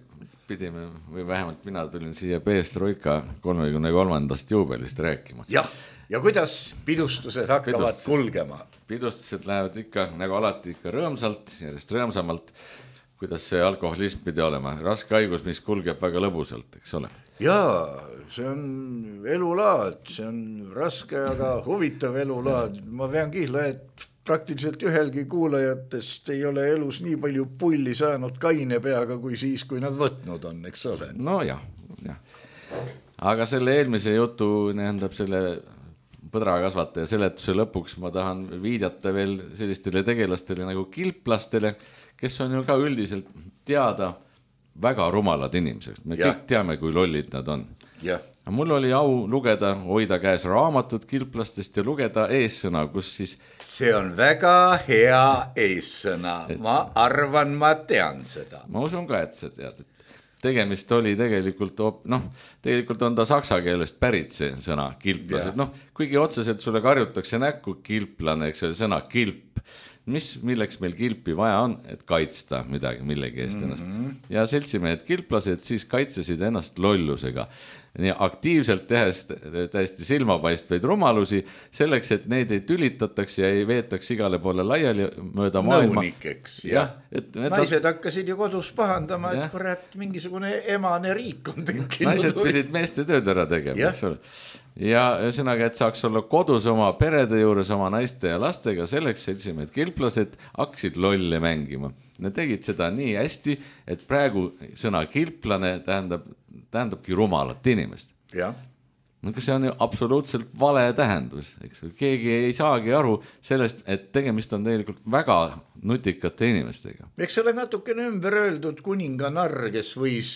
pidime, või vähemalt mina tulin siia Peestroika 33. juubelist rääkima. Jah, ja kuidas pidustused hakkavad kulgema? Pidustused lähevad ikka, nagu alati ikka rõõmsalt, järjest rõõmsamalt, kuidas see alkoholism pidi olema. Raske haigus, mis kulgeb väga lõbusalt, eks ole? Jaa, see on elulaad, see on raske, aga huvitav elulaad. Ma vean kihla, et praktiliselt ühelgi kuulajatest ei ole elus nii palju pulli saanud kaine peaga kui siis, kui nad võtnud on, eks ole? No jah. Aga selle eelmise jutu, nähendab selle põdrakasvataja seletuse lõpuks ma tahan viidata veel sellistele tegelastele nagu kilplastele, kes on ju ka üldiselt teada väga rumalad inimesed. Me kõik teame, kui lollid nad on. Mul oli au lugeda, hoida käes raamatut kilplastest ja lugeda eessõna, kus siis... See on väga hea eessõna. Ma arvan, ma tean seda. Ma usun ka, et sa tead. Tegemist oli tegelikult, tegelikult on ta saksa keelest pärit see sõna kilplased. Kuigi otseselt sulle karjutakse näkku kilplane, eks see sõna kilp. Milleks meil kilpi vaja on, et kaitsta midagi, millegi eest ennast. Ja seltsimehed kilplased siis kaitsesid ennast lollusega. Nii aktiivselt tehes täiesti silmapaistvaid rumalusi, selleks, et neid ei tülitataks ja ei veetaks igale poole laiali mööda maailma. Nõunikeks, jah. Naised hakkasid ju kodus pahandama, et kurat, mingisugune emane riik on tekkinud. Naised pidid meeste tööd ära tegema, eks ole. Ja ühesõnaga, et saaks olla kodus oma perede juures, oma naiste ja lastega, selleks seltsimehed kilplased hakkasid lolle mängima. Nad tegid seda nii hästi, et praegu sõna kilplane tähendabki rumalat inimest. See on ju absoluutselt vale tähendus. Keegi ei saagi aru sellest, et tegemist on tegelikult väga nutikate inimestega. Eks ole natukene ümber öeldud kuninganarr, kes võis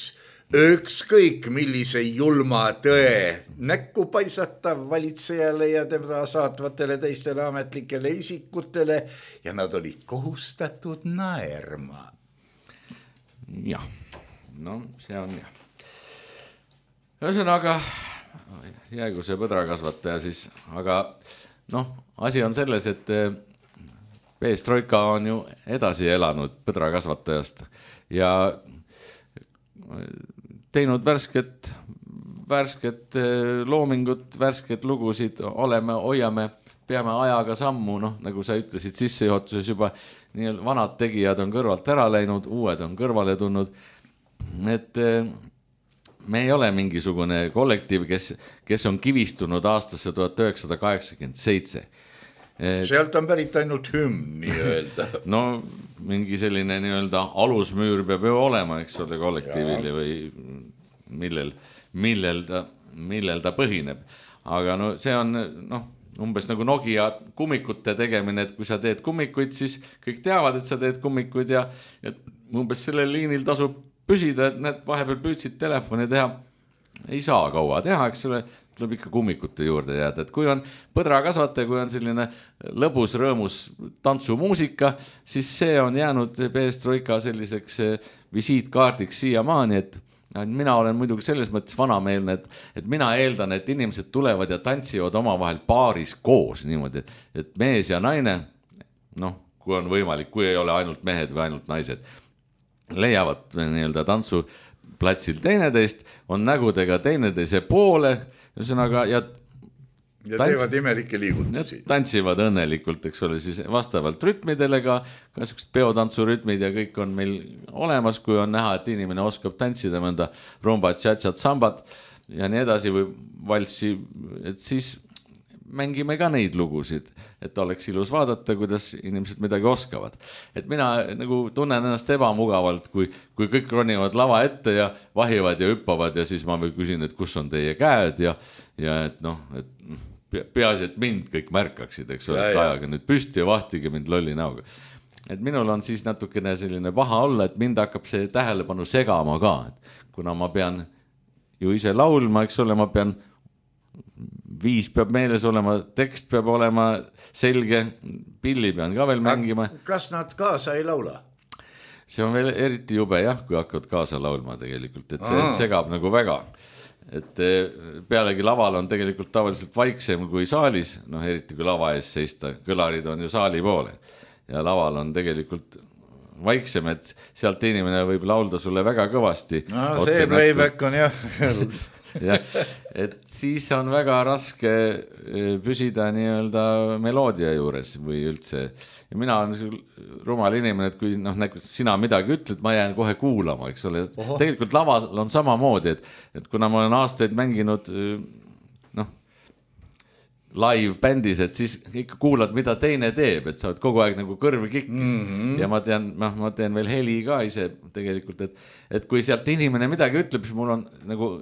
ükskõik millise julma tõe näkku paisatav valitsejale ja tema saatvatele teistele ametlikele isikutele ja nad olid kohustatud naerma. Jah, see on jah. Ühesõnaga, jäägu see põdrakasvataja siis, aga asi on selles, et Peestroika on ju edasi elanud põdrakasvatajast ja teinud värsket loomingut, värsket lugusid, hoiame, peame ajaga sammu, nagu sa ütlesid sissejuhatuses juba, nii vanad tegijad on kõrvalt ära läinud, uued on kõrvale tulnud, et me ei ole mingisugune kollektiiv, kes on kivistunud aastasse 1987. Sealt on pärit ainult hümn, nii öelda. Mingi selline nii-öelda alusmüür peab ju olema, eks ole, kollektiivil või millel ta põhineb. Aga see on umbes nagu Nokia kummikute tegemine, et kui sa teed kummikuid, siis kõik teavad, et sa teed kummikuid ja umbes sellel liinil tasub püsida, et need vahepeal püüdsid telefoni teha, ei saa kaua teha, eks ole, tuleb ikka kummikute juurde jääda, et kui on põdrakasvataja, kui on selline lõbus, rõõmus tantsumuusika, siis see on jäänud Peestroika selliseks visiitkaardiks siiamaani, et mina olen muidugi selles mõttes vanameelne, et mina eeldan, et inimesed tulevad ja tantsivad omavahel paaris koos niimoodi, et mees ja naine, kui on võimalik, kui ei ole ainult mehed või ainult naised, leiavad nii-öelda tantsuplatsil teineteist, on nägudega teineteise poole, ühesõnaga, ja teevad imelikke liigutusi. Tantsivad õnnelikult, eks ole, siis vastavalt rütmidele ka sellised peotantsurütmid ja kõik on meil olemas, kui on näha, et inimene oskab tantsida mõnda rumbat, tšatsat, sambat ja nii edasi või valsi, et siis mängime ka neid lugusid, et oleks ilus vaadata, kuidas inimesed midagi oskavad. Et mina nagu tunnen ennast ebamugavalt, kui kõik ronivad lava ette ja vahivad ja hüppavad ja siis ma küsin, et kus on teie käed ja et peaasi, et mind kõik märkaksid, eks ole, et ajaga nüüd püsti ja vahtige mind lolli näoga. Et minul on siis natukene selline paha olla, et mind hakkab see tähelepanu segama ka, et kuna ma pean ju ise laulma, eks ole, ma pean viis peab meeles olema, tekst peab olema selge, pilli pean ka veel mängima. Kas nad kaasa ei laula? see on veel eriti jube jah, kui hakkavad kaasa laulma tegelikult, et see segab nagu väga. Et pealegi laval on tegelikult tavaliselt vaiksem kui saalis, noh eriti kui lava ees seista, kõlarid on ju saali poole ja laval on tegelikult vaiksem, et sealt inimene võib laulda sulle väga kõvasti. No see playback on jah. jah, et siis on väga raske püsida nii-öelda meloodia juures või üldse. Ja mina olen rumal inimene, et kui sina midagi ütled, ma jään kohe kuulama, eks ole. Tegelikult laval on samamoodi, et kuna ma olen aastaid mänginud live bändis, et siis ikka kuulad, mida teine teeb, et sa oled kogu aeg nagu kõrvi kikkis ja ma teen veel heli ka ise tegelikult, et kui sealt inimene midagi ütleb, siis mul on nagu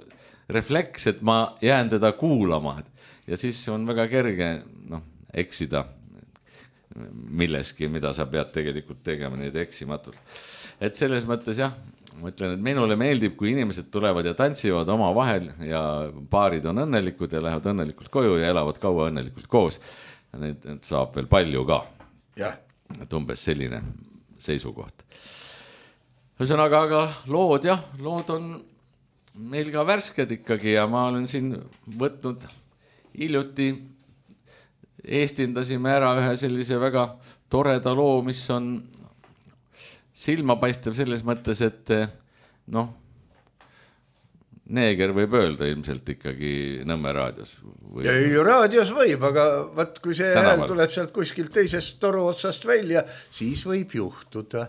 refleks, et ma jään teda kuulama ja siis on väga kerge eksida milleski, mida sa pead tegelikult tegema nüüd eksimatult. Et selles mõttes jah, ma ütlen, et minule meeldib, kui inimesed tulevad ja tantsivad oma vahel ja paarid on õnnelikud ja lähevad õnnelikult koju ja elavad kaua õnnelikult koos. Neid saab veel palju ka. Et umbes selline seisukoht. Ühesõnaga, aga lood on meil ka värsked ikkagi ja ma olen siin võtnud hiljuti eestindasime ära ühe sellise väga toreda loo, mis on silmapaistev selles mõttes, et neeger võib öelda ilmselt ikkagi Nõmme raadios. Ja raadios võib, aga vaat kui see hääl tuleb sealt kuskilt teisest toru otsast välja, siis võib juhtuda.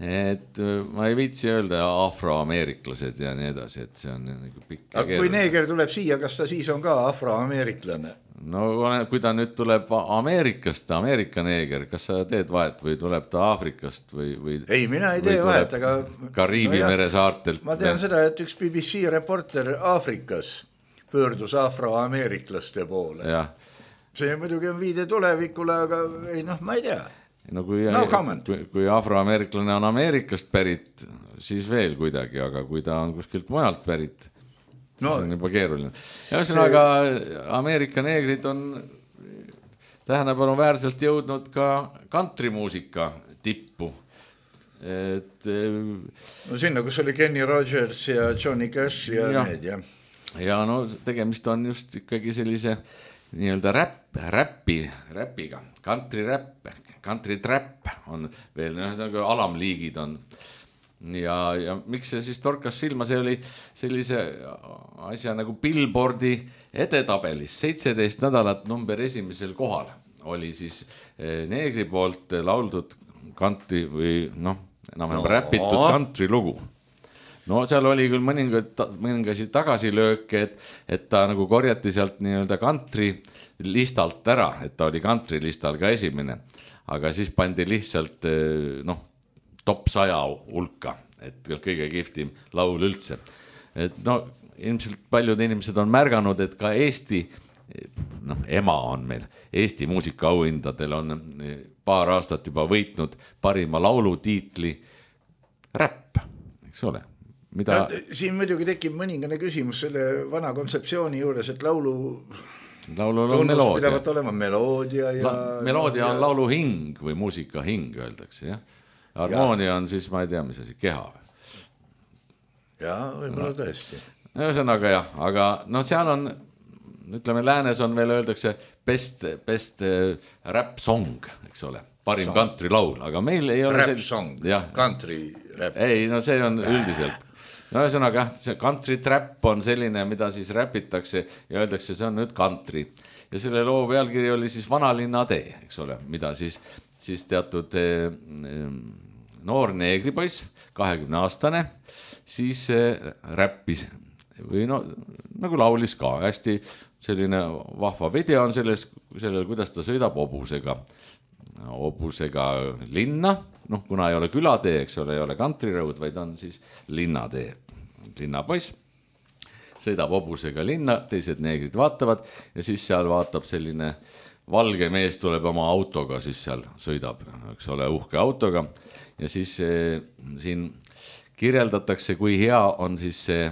Et ma ei viitsi öelda afroameeriklased ja nii edasi, et see on nagu pikk. Aga kui neeger tuleb siia, kas ta siis on ka afroameeriklane? No kui ta nüüd tuleb Ameerikast, Ameerika neeger, kas sa teed vahet või tuleb ta Aafrikast või ei, mina ei tee vahet, aga Kariibi mere saartelt. Ma tean seda, et üks BBC reporter Aafrikas pöördus afroameeriklaste poole. Ja. See muidugi on viide tulevikule, aga ei, ma ei tea. No kui afroameeriklane on Ameerikast pärit, siis veel kuidagi, aga kui ta on kuskilt mujalt pärit, siis on juba keeruline. Ja ühesõnaga, Ameerika neegrid on tähelepanu väärselt jõudnud ka kantrimuusika tippu. No sinna, kus oli Kenny Rogers ja Johnny Cash ja need, jah. Ja tegemist on just ikkagi sellise nii-öelda räpiga, country trap on veel, alamliigid on. Ja miks see siis torkas silma, see oli sellise asja nagu Billboardi edetabelis 17 nädalat number 1. kohal oli siis neegri poolt lauldud country või enam-vähem räpitud country lugu. No seal oli küll mõningasid tagasilööke, et ta nagu korjati sealt nii-öelda country listalt ära, et ta oli country listal ka esimene, aga siis pandi lihtsalt top 100 hulka, et kõige kihvtim laul üldse. Et ilmselt paljud inimesed on märganud, et ka Eesti, ema on meil, Eesti muusikaauhindadel on paar aastat juba võitnud parima laulu tiitli räpp, eks ole. Siin muidugi tekib mõningane küsimus selle vana kontseptsiooni juures, et laulul on meloodia. Pidavat olema meloodia ja... Meloodia on laulu hing või muusika hing, öeldakse, jah. Harmoonia on siis, ma ei tea, mis asi, keha. Jaa, võib-olla tõesti. Ühesõnaga jah, aga seal on, ütleme, läänes on veel öeldakse best rap song, eks ole, parim country laul, aga meil ei ole... Rap song, country rap. Ei, see on üldiselt. Ühesõnaga, see country trap on selline, mida siis räpitakse ja öeldakse, see on nüüd country. Ja selle loo pealkiri oli siis Vanalinna tee, eks ole, mida siis teatud noor neegripoiss, 20-aastane, siis räppis või nagu laulis ka. Hästi selline vahva video on sellel, kuidas ta sõidab hobusega linna, kuna ei ole külatee, eks ole, ei ole country road, vaid on siis linnatee. Linnapoiss sõidab hobusega linna, teised neegrid vaatavad ja siis seal vaatab selline valge mees tuleb oma autoga, siis seal sõidab, eks ole, uhke autoga ja siis siin kirjeldatakse, kui hea on siis see,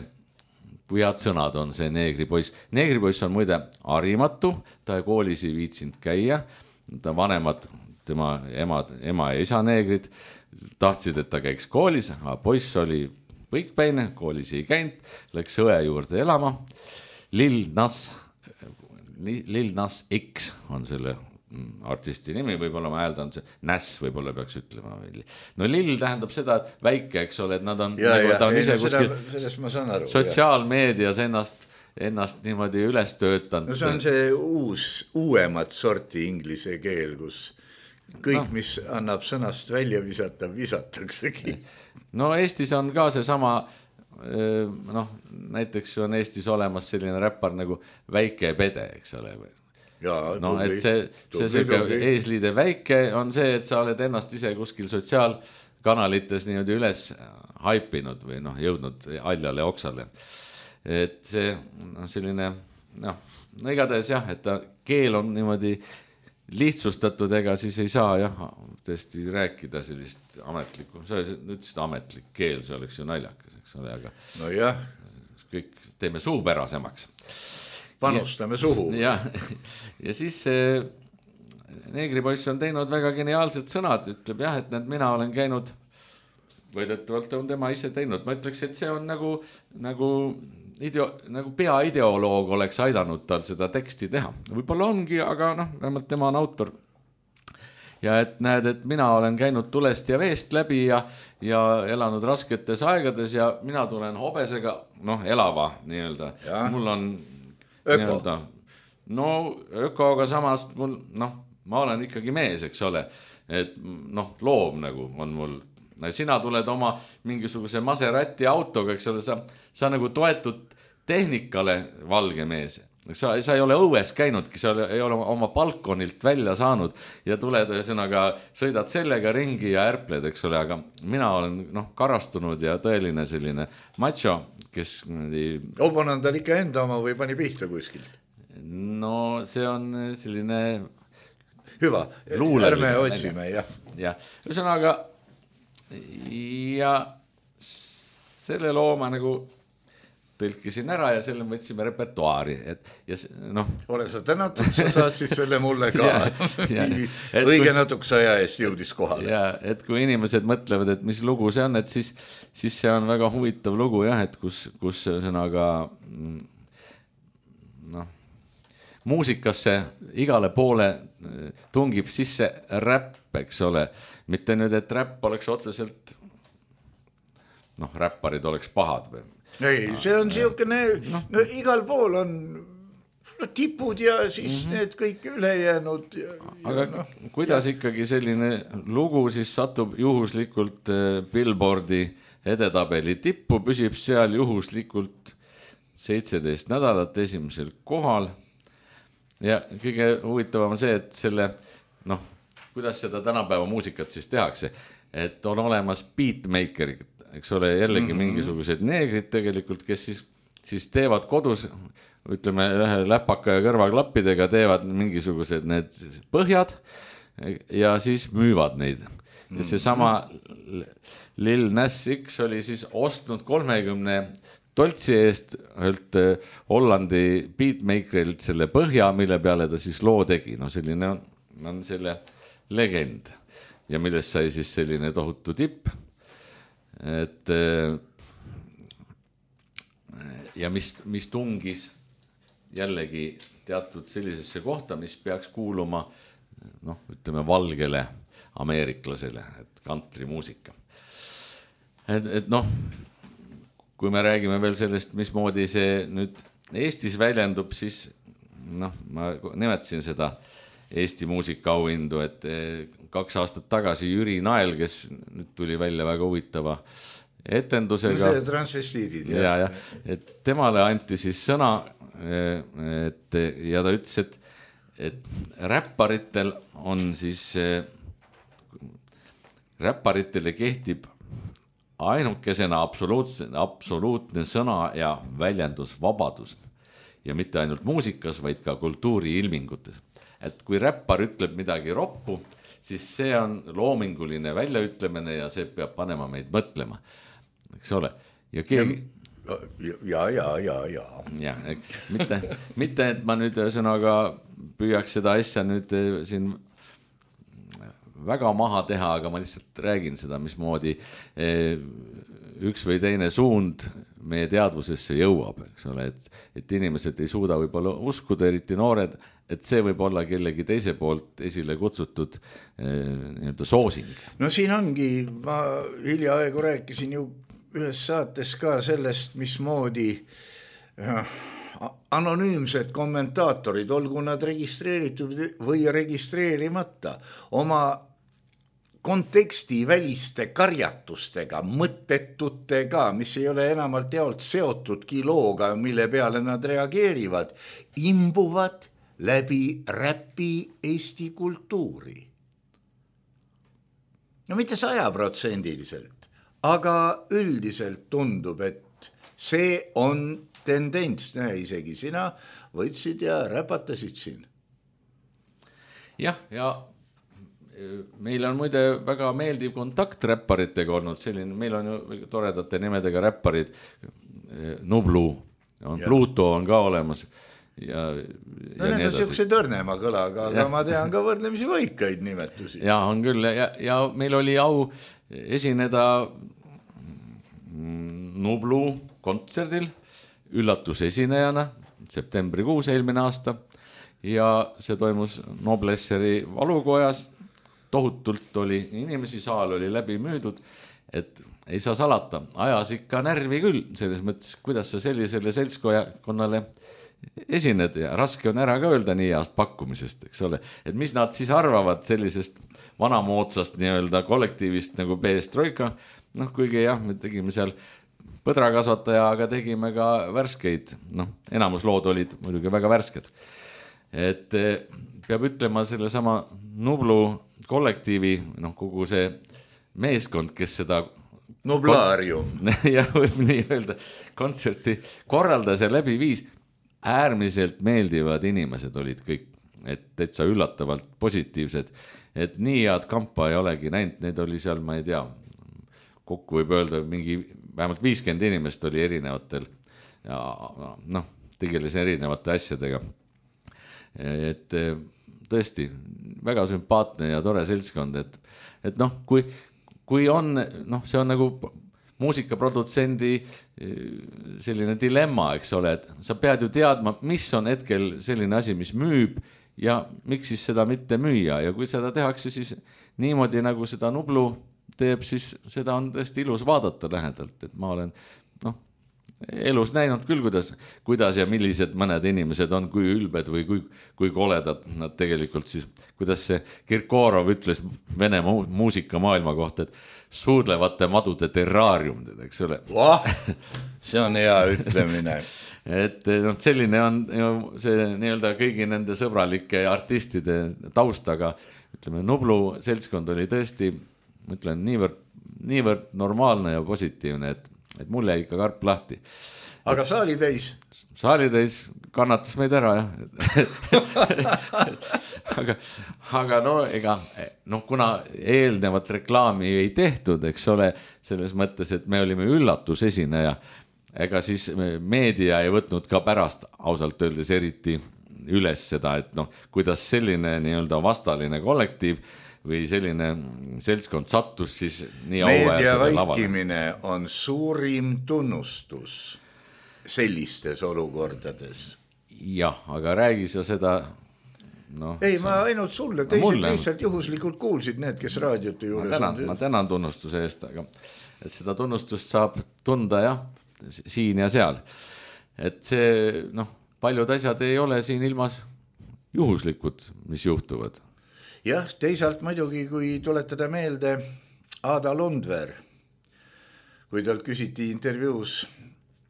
kui head sõnad on see neegripoiss. Neegripoiss on muide harimatu, ta koolis ei viitsinud käia, ta vanemad tema ema ja isa neegrid tahtsid, et ta käiks koolis, aga poiss oli põikpäine, koolis ei käinud, läks õe juurde elama. Lil Nas X on selle artisti nimi, võib-olla ma hääldan see, Näss võib-olla peaks ütlema. No Lill tähendab seda, et väike, eks ole, et nad on, ta on ise kuskil sotsiaalmeedias ennast niimoodi üles töötanud. No see on see uuemat sorti inglise keel, kus kõik, mis annab sõnast välja visata, visataksegi. No Eestis on ka see sama, näiteks on Eestis olemas selline räppar nagu Väike Pede, eks ole. No et see eesliide väike on see, et sa oled ennast ise kuskil sotsiaalkanalites niimoodi üles haipinud või jõudnud aljale oksale. Et see selline, igatahes jah, et keel on niimoodi lihtsustatud, ega siis ei saa tõesti rääkida sellist ametlikku, sa ütlesid ametlik keel, see oleks ju naljakas, eks ole, aga no jah, kõik teeme suupärasemaks. Panustame suhu. Ja siis neegripoiss on teinud väga geniaalsed sõnad, ütleb jah, et mina olen käinud, võidetavalt on tema ise teinud, ma ütleks, et see on nagu peaideoloog oleks aidanud tal seda teksti teha. Võib-olla ongi, aga vähemalt tema on autor. Ja et näed, et mina olen käinud tulest ja veest läbi ja elanud rasketes aegades ja mina tulen hobesega, elava nii-öelda. Mul on öko. No ökoga samast mul, ma olen ikkagi mees, eks ole, et loom nagu on mul. Sina tuled oma mingisuguse Maserati autoga, eks ole, sa nagu toetud tehnikale valge mees. Sa ei ole õues käinudki, sa ei ole oma balkonilt välja saanud ja tuled ühesõnaga, sõidad sellega ringi ja ärpled, eks ole, aga mina olen karastunud ja tõeline selline macho, kes... Obon on tal ikka enda oma või pani pihta kuskilt? No see on selline... Hüva, ärme otsime, jah. Ja, ühesõnaga, ja selle looma nagu tõlkisin ära ja selle võtsime repertuaari. Ole sa tänatud, sa saad siis selle mulle ka. Õige natukese aja eest jõudis kohale. Ja, et kui inimesed mõtlevad, et mis lugu see on, et siis see on väga huvitav lugu, jah, et kus sõnaga muusikasse igale poole tungib sisse räpp, eks ole. Mitte nüüd, et räpp oleks otseselt, räpparid oleks pahad või? Ei, see on siukene, igal pool on tipud ja siis need kõik ülejäänud. Aga kuidas ikkagi selline lugu siis satub juhuslikult Billboardi edetabeli tippu, püsib seal juhuslikult 17 nädalat esimesel kohal. Ja kõige huvitavam see, et selle, kuidas seda tänapäeva muusikat siis tehakse, et on olemas beatmakerid, eks ole, jällegi mingisugused neegrid tegelikult, kes siis teevad kodus, ütleme, läpaka ja kõrvaklappidega teevad mingisugused need põhjad ja siis müüvad neid. Ja see sama Lil Nas X oli siis ostnud 30 toltsi eest Hollandi beatmakerilt selle põhja, mille peale ta siis loo tegi. Selline on selle legend ja millest sai siis selline tohutu tipp. Et ja mis tungis jällegi teatud sellisesse kohta, mis peaks kuuluma ütleme valgele ameeriklasele, et kantrimuusika. Et kui me räägime veel sellest, mismoodi see nüüd Eestis väljendub, siis ma nimetasin seda Eesti muusikaauhindu, et 2 aastat tagasi Jüri Nael, kes nüüd tuli välja väga huvitava etendusega. See transvestiidid. Ja, et temale anti siis sõna ja ta ütles, et räpparitel on siis, räpparitele kehtib ainukesena absoluutne sõna ja väljendusvabadus ja mitte ainult muusikas, vaid ka kultuuriilmingutes. Et kui räppar ütleb midagi roppu, siis see on loominguline väljaütlemine ja see peab panema meid mõtlema, eks ole. Ja keegi... Ja, mitte, et ma nüüd sõnaga püüaks seda asja nüüd siin väga maha teha, aga ma lihtsalt räägin seda, mismoodi üks või teine suund meie teadvusesse jõuab, eks ole, et inimesed ei suuda võib-olla uskuda, eriti noored, et see võib olla kellegi teise poolt esile kutsutud nii-öelda soosing. No siin ongi, ma hiljaaegu rääkisin ju ühes saates ka sellest, mismoodi anonüümsed kommentaatorid, olgu nad registreeritud või registreerimata, oma konteksti väliste karjatustega, mõttetutega, mis ei ole enamalt jaolt seotud kilooga, mille peale nad reageerivad, imbuvad läbi räpi Eesti kultuuri. No mitte 100%, aga üldiselt tundub, et see on tendents, isegi sina võtsid ja räpatasid siin. Jah, ja meil on muide väga meeldiv kontakt räpparitega olnud, selline, meil on ju toredate nimedega räpparid, Nublu, Pluto on ka olemas. Ja need on siukse tõrnema kõlaga, aga ma tean ka võrdlemisi võikaid nimetusi. Ja on küll, ja meil oli au esineda Nublu kontserdil üllatusesinejana septembrikuus eelmine aasta ja see toimus Noblesseri valukojas. Tohutult oli inimesi, saal oli läbi müüdud, et ei saa salata, ajas ikka närvi küll, selles mõttes, kuidas sa sellisele seltskonnale esined ja raske on ära ka öelda nii heast pakkumisest, eks ole, et mis nad siis arvavad sellisest vanamoodsast nii-öelda kollektiivist nagu Perestroika, kuigi jah, me tegime seal põdrakasvataja, aga tegime ka värskeid, enamus lood olid muidugi väga värsked. Et peab ütlema selle sama Nublu kollektiivi, kogu see meeskond, kes seda Nublaarium ja võib nii öelda, kontserti korraldas ja läbi viis, äärmiselt meeldivad inimesed olid kõik, et täitsa üllatavalt positiivsed, et nii head kampa ei olegi näinud, need oli seal, ma ei tea, kokku võib öelda mingi vähemalt 50 inimest oli erinevatel ja tegeles erinevate asjadega. Et tõesti väga sümpaatne ja tore seltskond, et kui on, see on nagu muusikaprodutsendi selline dilemma, eks ole, et sa pead ju teadma, mis on hetkel selline asi, mis müüb ja miks siis seda mitte müüa ja kui seda tehakse siis niimoodi nagu seda Nublu teeb, siis seda on tõesti ilus vaadata lähedalt, et ma olen elus näinud küll, kuidas ja millised mõned inimesed on, kui ülbed või kui koledad nad tegelikult siis, kuidas see Kirkorov ütles Vene muusikamaailma kohta, et suudlevate madude terraarium, eks ole. See on hea ütlemine. Et selline on see nii-öelda kõigi nende sõbralike artistide taustaga, ütleme, Nublu seltskond oli tõesti, ma ütlen, niivõrd normaalne ja positiivne, et mul jäi ikka karp lahti. Aga saali täis? Saali täis kannatas meid ära, jah. aga kuna eelnevat reklaami ei tehtud, eks ole, selles mõttes, et me olime üllatusesineja, ega siis meedia ei võtnud ka pärast ausalt öeldes eriti üles seda, et kuidas selline nii-öelda vastaline kollektiiv või selline seltskond sattus siis nii auväärselt lavale. Meedia vaikimine on suurim tunnustus sellistes olukordades. Jah, aga räägi sa seda... ei, ma ainult sulle, teised lihtsalt juhuslikult kuulsid need, kes raadiote juures on. Ma tänan tunnustuse eest, aga et seda tunnustust saab tunda jah, siin ja seal. Et see, paljud asjad ei ole siin ilmas juhuslikud, mis juhtuvad. Jah, teisalt muidugi, kui tuletada meelde Ada Lundver, kui talt küsiti intervjuus,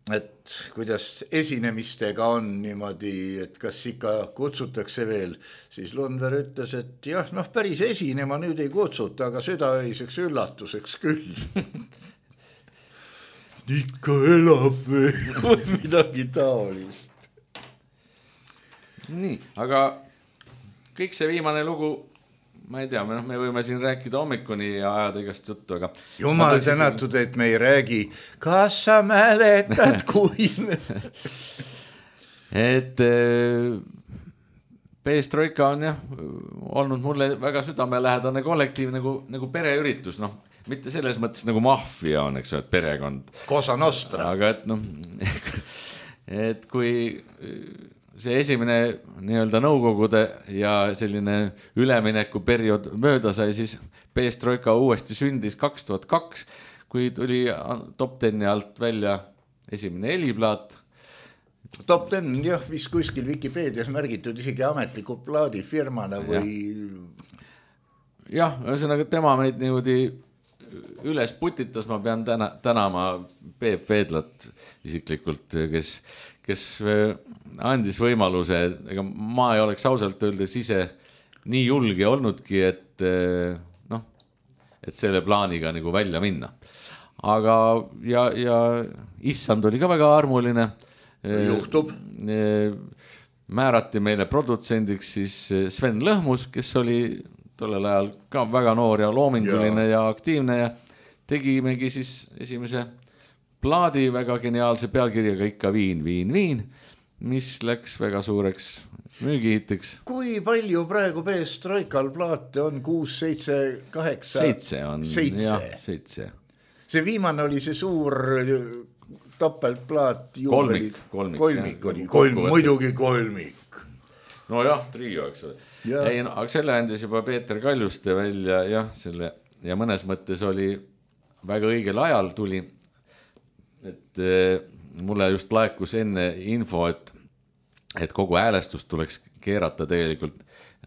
et kuidas esinemistega on niimoodi, et kas ikka kutsutakse veel, siis Lundver ütles, et jah, päris esinema nüüd ei kutsuta, aga südaöiseks üllatuseks küll. Ikka elab või midagi taolist. Nii, aga kõik see viimane lugu, ma ei tea, me võime siin rääkida hommikuni ja ajada igast juttu, aga... Jumal tänatud, et me ei räägi, kas sa mäletad, kui... et Perestroika on jah olnud mulle väga südamelähedane kollektiiv nagu pereüritus, noh, mitte selles mõttes nagu maffia on, eks ole, et perekond. Cosa Nostra. Aga et noh, et kui see esimene nii-öelda nõukogude ja selline üleminekuperiood mööda sai, siis Perestroika uuesti sündis 2002, kui tuli Top 10 alt välja esimene heliplaat. Top 10 jah, vist kuskil Wikipeedias märgitud isegi ametliku plaadifirmana või... Jah, ühesõnaga tema meid niimoodi üles putitas, ma pean tänama Peep Veedlat isiklikult, kes andis võimaluse, ega ma ei oleks ausalt öeldes ise nii julge olnudki, et selle plaaniga nagu välja minna. Aga ja issand oli ka väga armuline. Juhtub. Määrati meile produtsendiks siis Sven Lõhmus, kes oli tollel ajal ka väga noor ja loominguline ja aktiivne ja tegimegi siis esimese plaadi väga geniaalse pealkirjaga ikka Viin, Viin, Viin, mis läks väga suureks müügihitiks. Kui palju praegu Perestroikal plaate on? 6, 7, 8? 7 on. 7. See viimane oli see suur topeltplaat. Kolmik oli. Muidugi kolmik. No jah, trio, eks ole. Ei, no, aga selle andis juba Peeter Kaljuste välja ja mõnes mõttes oli väga õigel ajal tuli, et mulle just laekus enne info, et kogu häälestust tuleks keerata tegelikult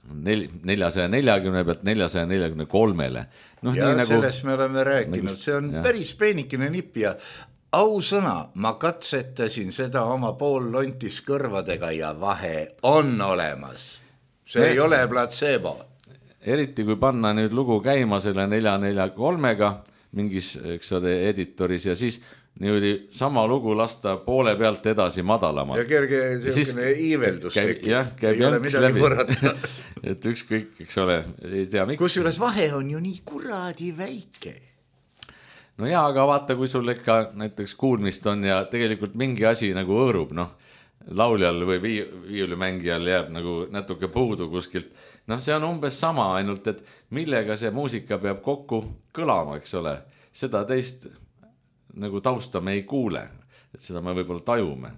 440 pealt 443-le. No, ja sellest me oleme rääkinud, see on päris peenikene nipp ja ausõna, ma katsetasin seda oma poollontis kõrvadega ja vahe on olemas. See ei ole placebo. Eriti kui panna nüüd lugu käima selle 443-ga mingis, eks ole, editoris ja siis niimoodi sama lugu lasta poole pealt edasi madalamalt. Ja kerge selline iiveldus tekib. Käib ei ole midagi võrrata. Et ükskõik, eks ole, ei tea miks. Kusjuures vahe on ju nii kuradi väike. No jaa, aga vaata, kui sul ikka näiteks kuulmist on ja tegelikult mingi asi nagu õõrub, noh, lauljal või viiulimängijal jääb nagu natuke puudu kuskilt. Noh, see on umbes sama, ainult et millega see muusika peab kokku kõlama, eks ole. Seda teist nagu tausta me ei kuule, et seda me võib-olla tajume.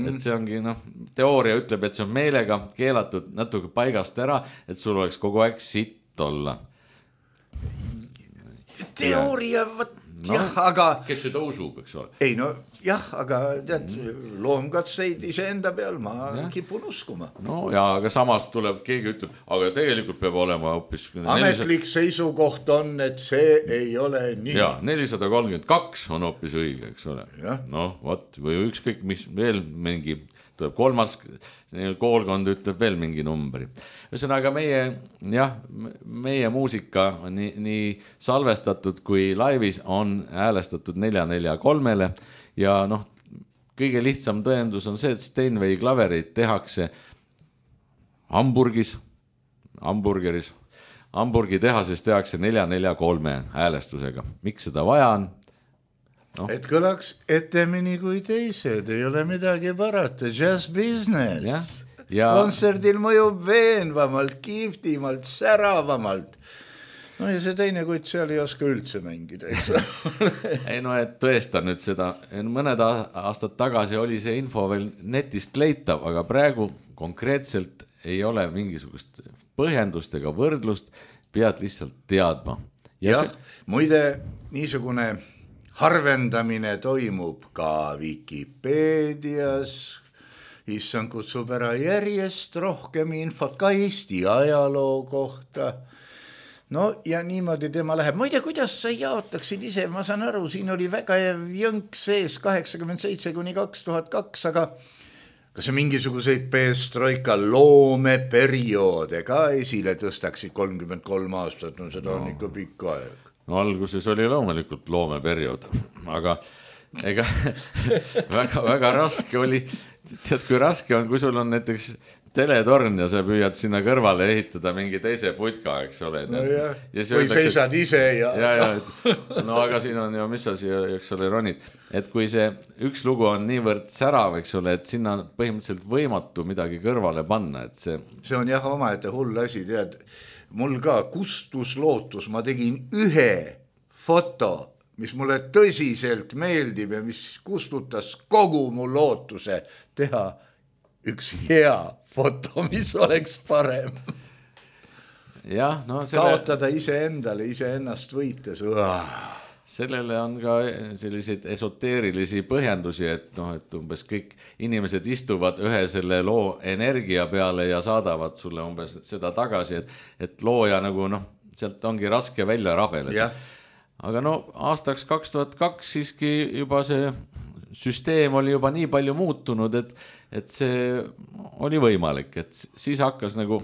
Et see ongi, noh, teooria ütleb, et see on meelega keelatud natuke paigast ära, et sul oleks kogu aeg sitt olla. Teooria, jah, aga... Kes seda usub, eks ole? Ei, no jah, aga tead, loomkatseid ise enda peal ma kipun uskuma. No ja, aga samas tuleb, keegi ütleb, aga tegelikult peab olema hoopis... Ametlik seisukoht on, et see ei ole nii. Ja, 432 on hoopis õige, eks ole. No, võt, või ükskõik, mis veel mingi... tuleb kolmas koolkond ütleb veel mingi numbri. Ühesõnaga meie muusika nii salvestatud kui laivis on häälestatud 443-le ja noh, kõige lihtsam tõendus on see, et Steinway klaverid tehakse Hamburgis, Hamburgi tehases tehakse 443 häälestusega. Miks seda vaja on? No. Et kõlaks etemini kui teised, ei ole midagi parata, just business. Ja... Kontserdil mõjub veenvamalt, kiiftimalt, säravamalt. No ja see teine kuid seal ei oska üldse mängida, eks? Ei no, et tõesta nüüd seda, mõned aastad tagasi oli see info veel netist leitav, aga praegu konkreetselt ei ole mingisugust põhjendust ega võrdlust, pead lihtsalt teadma. Ja muide, niisugune... Harvendamine toimub ka Wikipeedias, issand kutsub ära järjest rohkem infot ka Eesti ajaloo kohta. No ja niimoodi tema läheb. Ma ei tea, kuidas sa jaotaksid ise, ma saan aru, siin oli väga jõnk sees 87–2002, aga kas sa mingisuguseid Perestroika loomeperioode ka esile tõstaksid 33 aastat, no seda on ikka pikk aeg. No alguses oli loomulikult loomeperiood, aga ega väga raske oli tead, kui raske on, kui sul on näiteks teletorn ja sa püüad sinna kõrvale ehitada mingi teise putka, eks ole. No ja või seisad ise ja. No aga siin on ju, mis sa siia, eks ole, ronid. Et kui see üks lugu on niivõrd särav, eks ole, et sinna on põhimõtteliselt võimatu midagi kõrvale panna, et see on jah omaette hull asi, tead. Mul ka kustus lootus, ma tegin ühe foto, mis mulle tõsiselt meeldib ja mis kustutas kogu mu lootuse teha üks hea foto, mis oleks parem. Jah, no kaotada iseendale, iseennast võites. Sellele on ka selliseid esoteerilisi põhjendusi, et umbes kõik inimesed istuvad ühe selle loo energia peale ja saadavad sulle umbes seda tagasi, et looja nagu sealt ongi raske välja rabeleda. Aga aastaks 2002 siiski juba see süsteem oli juba nii palju muutunud, et see oli võimalik, et siis hakkas nagu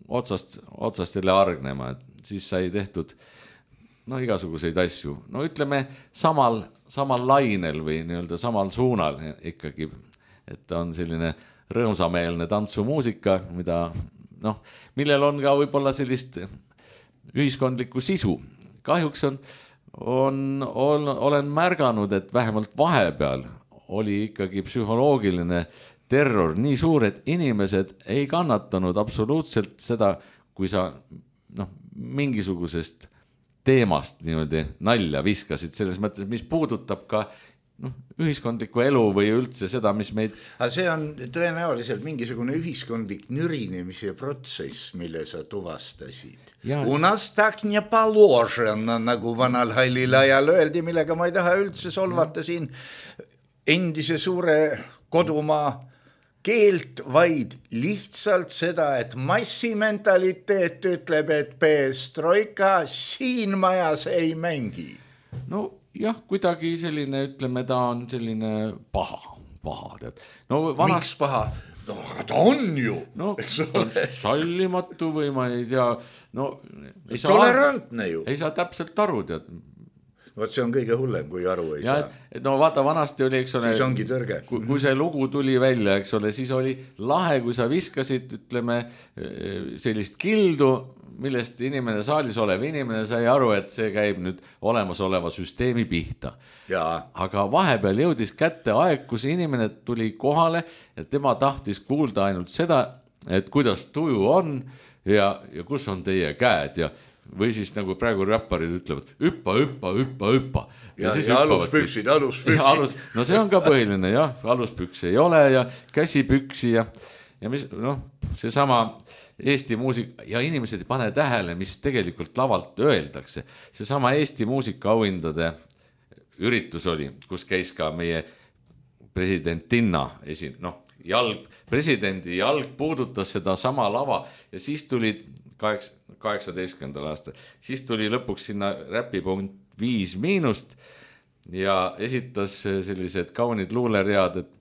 otsast jälle argnema, et siis sai tehtud igasuguseid asju. Ütleme samal lainel või nii-öelda samal suunal ikkagi, et on selline rõõmsameelne tantsumuusika, millel on ka võib-olla sellist ühiskondlikku sisu. Kahjuks olen märganud, et vähemalt vahepeal oli ikkagi psühholoogiline terror nii suur, et inimesed ei kannatanud absoluutselt seda, kui sa mingisugusest teemast niimoodi nalja viskasid, selles mõttes, mis puudutab ka ühiskondlikku elu või üldse seda, mis meid... See on tõenäoliselt mingisugune ühiskondlik nürinemise protsess, mille sa tuvastasid. U nas tak ne paložena, nagu vanal hallil ajal öeldi, millega ma ei taha üldse solvata siin endise suure kodumaa keelt, vaid lihtsalt seda, et massimentaliteet ütleb, et perestroika siin majas ei mängi. Jah, kuidagi selline, ütleme, ta on selline paha, tead. Miks paha? Ta on ju. Sallimatu või ma ei tea. Tolerantne ju. Ei saa täpselt aru, tead. Vaat see on kõige hullem, kui aru ei saa. Vaata, vanasti oli, eks ole, siis ongi tõrge. Kui see lugu tuli välja, eks ole, siis oli lahe, kui sa viskasid, ütleme, sellist kildu, millest saalis olev inimene sai aru, et see käib nüüd olemasoleva süsteemi pihta. Aga vahepeal jõudis kätte aeg, kus inimene tuli kohale ja tema tahtis kuulda ainult seda, et kuidas tuju on ja kus on teie käed ja või siis nagu praegu räpparid ütlevad hüppa. Ja aluspüksid. No see on ka põhiline, jah, aluspüksi ei ole ja käsipüksi ja mis, see sama Eesti muusika ja inimesed ei pane tähele, mis tegelikult lavalt öeldakse. See sama Eesti muusika auhindade üritus oli, kus käis ka meie presidentinna presidendi jalg puudutas seda sama lava ja siis tulid 18. aastal. Siis tuli lõpuks sinna räpipunkt 5- ja esitas sellised kaunid luuleread, et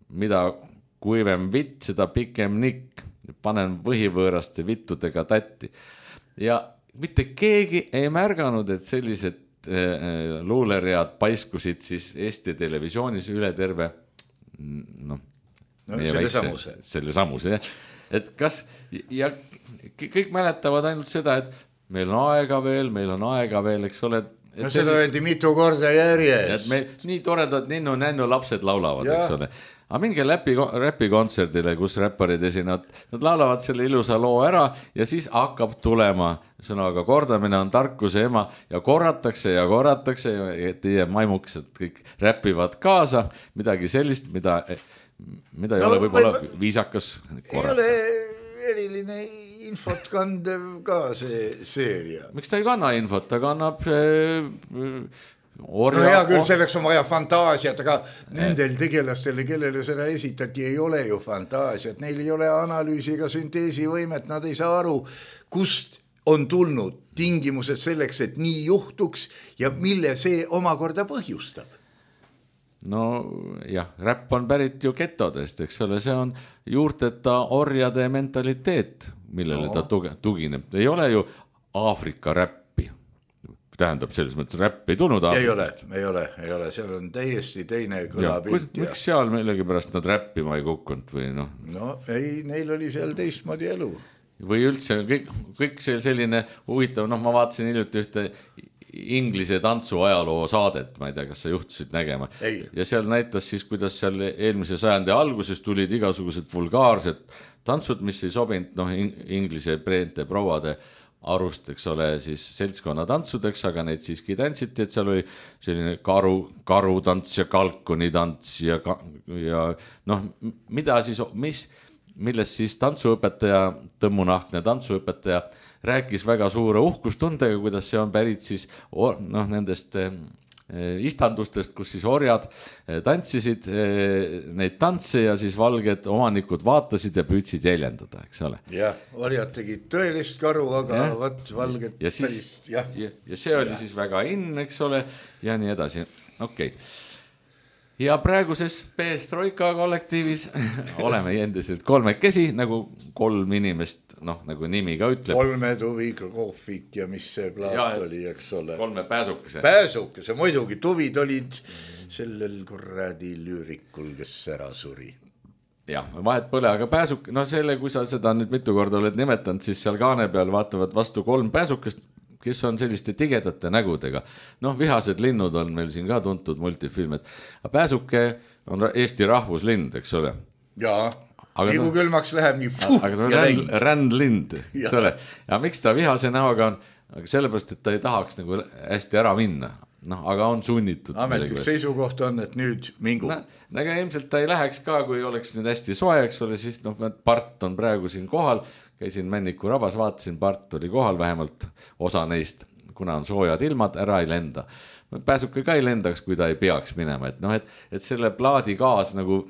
mida kuivem vitt, seda pikem nikk, panen võhivõõraste vittudega tatti. Ja mitte keegi ei märganud, et sellised luuleread paiskusid siis Eesti televisioonis üle terve selle samuse, jah. Et kas, ja kõik mäletavad ainult seda, et meil on aega veel, eks ole. Seda öeldi mitu korda järjest. Nii toredad ninnu-nännu lapsed laulavad, eks ole. Aga minge räpikontserdile, kus räpparid esinevad, nad laulavad selle ilusa loo ära ja siis hakkab tulema sõnaga kordamine on tarkuse ema ja korratakse ja teie maimuksed kõik räpivad kaasa, midagi sellist, mida ei ole võib-olla viisakas korrata. Ei ole eriline infot kandev ka see seeria. Miks ta ei kanna infot? Ta kannab hea küll, selleks on vaja fantaasiat, aga nendel tegelastele, kellele seda esitati, ei ole ju fantaasiat. Neil ei ole analüüsi ega sünteesivõimet, nad ei saa aru, kust on tulnud tingimused selleks, et nii juhtuks ja mille see omakorda põhjustab. Räpp on pärit ju getodest, eks ole, see on juurteta orjade mentaliteet, millele ta tugineb. Ei ole ju Aafrika räppi. tähendab selles mõttes räpp ei tulnud Aafrikast. Ei ole, seal on täiesti teine kõlapilt. Miks seal millegipärast nad räppima ei kukkunud või noh? No ei, neil oli seal teistmoodi elu. Või üldse kõik selline huvitav, noh ma vaatasin hiljuti ühte Inglise tantsu ajaloo saadet, ma ei tea, kas sa juhtusid nägema. Ja seal näitas siis, kuidas seal eelmise sajandi alguses tulid igasugused vulgaarsed tantsud, mis ei sobinud Inglise preente prouade arust, eks ole, siis seltskonna tantsudeks, aga neid siiski tantsiti, et seal oli selline karutants ja kalkuni tants ja noh, mida siis, millest siis tantsuõpetaja, Tõmmunahkne tantsuõpetaja rääkis väga suure uhkustundega, kuidas see on pärit siis nendest istandustest, kus siis orjad tantsisid neid tantse ja siis valged omanikud vaatasid ja püüdsid jäljendada, eks ole. Jah, orjad tegid tõelist karu, aga võt valged ja päris. Ja see oli siis väga in, eks ole, ja nii edasi. Okei. Ja praeguses Perestroika kollektiivis oleme endiselt kolmekesi, nagu 3 inimest, nagu nimi ka ütleb. 3 tuvi kohvik ja mis see plaat oli, eks ole. 3 pääsukese. Pääsukese, muidugi, tuvid olid sellel kuradi lüürikul, kes ära suri. Jah, vahet pole, aga pääsuk, selle, kui sa seda nüüd mitu korda oled nimetanud, siis seal kaane peal vaatavad vastu 3 pääsukest, kes on selliste tigedate nägudega. Vihased linnud on meil siin ka tuntud multifilm, et pääsuke on Eesti rahvuslind, eks ole. Jaa, nii kui külmaks läheb, nii aga ta on rändlind, eks ole. Ja miks ta vihase näoga on? Aga sellepärast, et ta ei tahaks nagu hästi ära minna. Aga on sunnitud. Ametlik seisukoht on, et nüüd mingu. Aga ilmselt ta ei läheks ka, kui oleks nüüd hästi soe, eks ole, siis part on praegu siin kohal. Käisin Männiku rabas, vaatasin, part oli kohal, vähemalt osa neist, kuna on soojad ilmad, ära ei lenda. Pääsuke ka ei lendaks, kui ta ei peaks minema. Et selle plaadi kaas nagu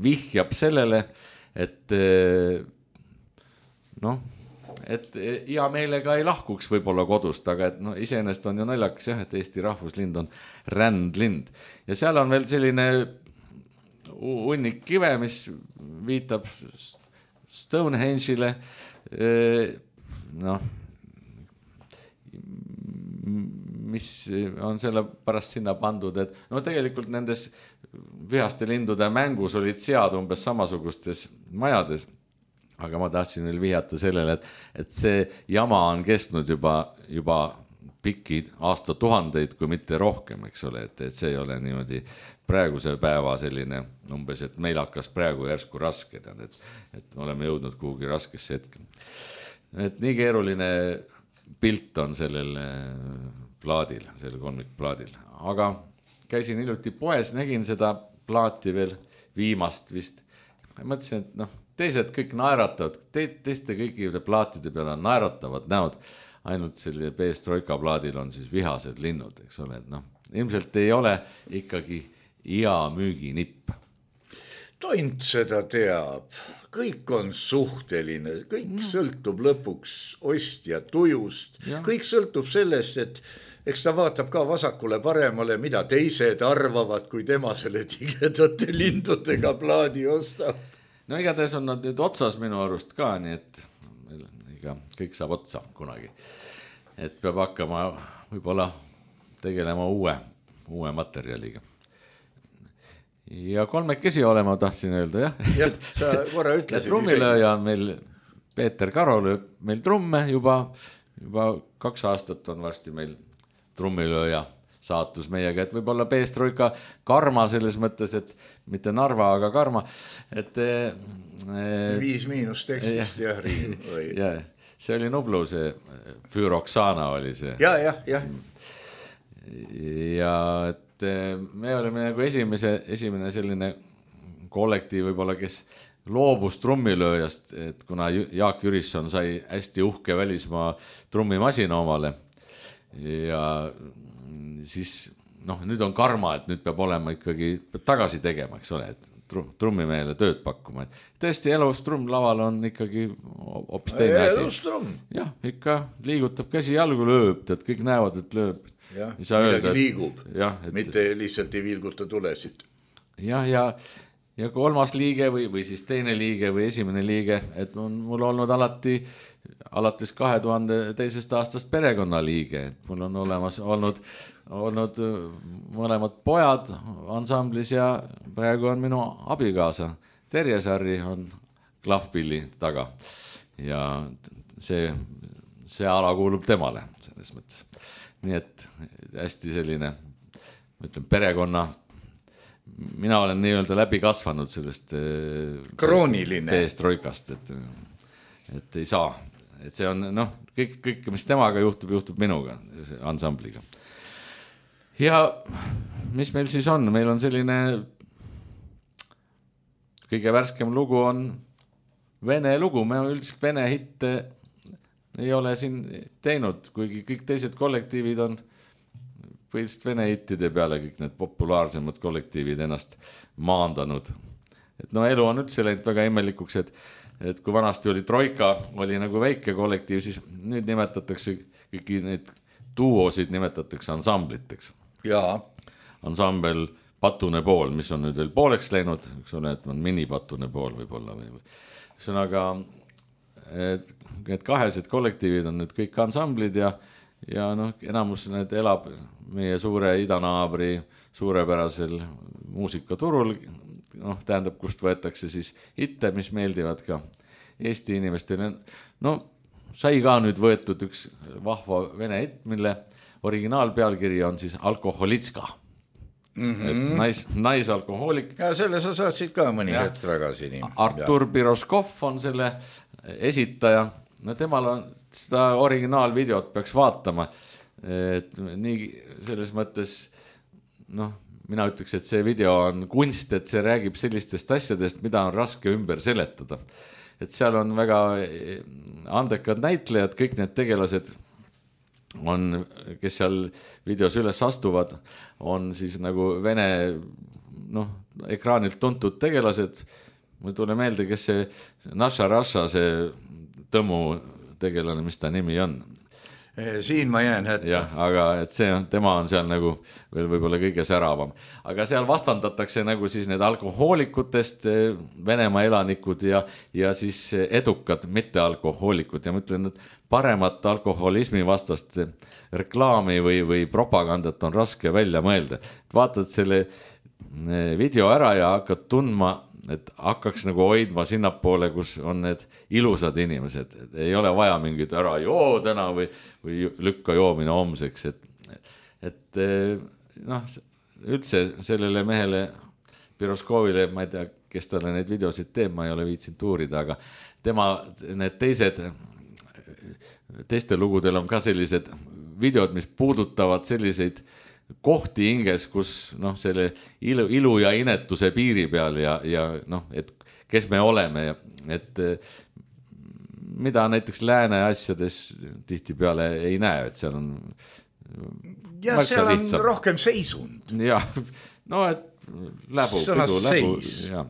vihjab sellele, et hea meelega ei lahkuks võib-olla kodust, aga iseenesest on ju naljakas jah, et Eesti rahvuslind on rändlind. Ja seal on veel selline hunnik kive, mis viitab Stonehenge'ile, mis on selle pärast sinna pandud, et tegelikult nendes vihaste lindude mängus olid sead umbes samasugustes majades, aga ma tahtsin veel vihjata sellele, et see jama on kestnud juba pikki aastatuhandeid, kui mitte rohkem, eks ole, et see ei ole niimoodi praeguse päeva selline umbes, et meil hakkas praegu järsku raske, et oleme jõudnud kuhugi raskesse hetke. Et nii keeruline pilt on sellel plaadil, sellel kolmikplaadil, aga käisin hiljuti poes, nägin seda plaati veel viimast vist. Mõtlesin, et teised kõik naeratavad, teiste kõikide plaatide peale on naeratavad näod, ainult selle Perestroika plaadil on siis vihased linnud, eks ole, et ilmselt ei ole ikkagi hea müüginipp. Tont seda teab, kõik on suhteline, kõik sõltub lõpuks ostja tujust, kõik sõltub sellest, et eks ta vaatab ka vasakule paremale, mida teised arvavad, kui tema selle tigedate lindudega plaadi ostab. Igatahes on nad nüüd otsas minu arust ka, nii et kõik saab otsa kunagi. Et peab hakkama võib-olla tegelema uue materjaliga. Ja kolmekesi olema tahtsin öelda, jah. Jah, sa korra ütlesid. Trummilööja on meil, Peeter Karo lööb meil trumme juba 2 aastat on varsti meil trummilööja saatus meiega, et võib-olla Perestroika karma selles mõttes, et mitte Narva, aga karma, et 5- tekstist jah, jah, see oli Nublu, see Füroksana oli see. Ja. Ja et me olime nagu esimene selline kollektiiv võib-olla, kes loobus trummilööjast, et kuna Jaak Jürisson sai hästi uhke välismaa trummimasina omale ja siis nüüd on karma, et nüüd peab olema ikkagi tagasi tegema, eks ole, et trummimehele tööd pakkuma. Tõesti, elus trummlaval on ikkagi hoopis teine asi. Elus trumm. Jah, ikka liigutab käsi jalgu, lööb, tead, kõik näevad, et lööb. Jah, midagi liigub, et... mitte lihtsalt ei vilguta tulesid. Jah, ja kolmas liige või siis teine liige või esimene liige, et on mul olnud alates 2002. aastast perekonnaliige, et mul on olemas olnud mõlemad pojad ansamblis ja praegu on minu abikaasa Terje Sarri on klahvpilli taga ja see ala kuulub temale selles mõttes. Nii et hästi selline, ma ütlen, perekonna, mina olen nii-öelda läbi kasvanud sellest krooniline peestroikast, et ei saa, et see on kõik, mis temaga juhtub minuga, ansambliga. Ja mis meil siis on? Meil on selline kõige värskem lugu on vene lugu, me üldiselt vene hitte ei ole siin teinud, kuigi kõik teised kollektiivid on põhiliselt vene hittide peale kõik need populaarsemad kollektiivid ennast maandanud. Et elu on üldse läinud väga imelikuks, et kui vanasti oli Troika, oli nagu väike kollektiiv, siis nüüd nimetatakse kõiki neid duosid nimetatakse ansambliteks. Jaa. Ansambel Patune pool, mis on nüüd veel pooleks läinud, eks ole, et on minipatune pool võib-olla. Sõnaga, need kahesed kollektiivid on nüüd kõik ansamblid ja enamus need elab meie suure idanaabri suurepärasel muusikaturul, tähendab, kust võetakse siis hitte, mis meeldivad ka Eesti inimestele. Sai ka nüüd võetud üks vahva vene hitt, mille originaalpealkiri on siis Alkoholitska. Naisalkohoolik. Ja selle sa saatsid ka mõni hetk tagasi. Artur Piroskov on selle esitaja. Temal on seda originaalvideot peaks vaatama. Et nii selles mõttes, mina ütleks, et see video on kunst, et see räägib sellistest asjadest, mida on raske ümber seletada. Et seal on väga andekad näitlejad, kõik need tegelased on, kes seal videos üles astuvad, on siis nagu vene ekraanilt tuntud tegelased. Mul tule meelde, kes see Naša Raša, see Tõmu tegelane, mis ta nimi on. Siin ma jään hetke. Jah, aga et tema on seal nagu veel võib-olla kõige säravam. Aga seal vastandatakse nagu siis need alkohoolikutest Venemaa elanikud ja siis edukad mittealkohoolikud. Ja ma ütlen, et paremat alkoholismi vastast reklaami või propagandat on raske välja mõelda. Vaatad selle video ära ja hakkad tundma, et hakkaks nagu hoidma sinnapoole, kus on need ilusad inimesed. Ei ole vaja mingit ära joo täna või lükka joomine homseks. Et üldse sellele mehele Piroskovile, ma ei tea, kes talle neid videosid teeb, ma ei ole viitsinud uurida, aga tema need teiste lugudel on ka sellised videod, mis puudutavad selliseid kohti hinges, kus selle ilu ja inetuse piiri peal ja et kes me oleme, et mida näiteks lääne asjades tihti peale ei näe, et seal on ja seal on rohkem seisund. Ja, et läbu. Ja.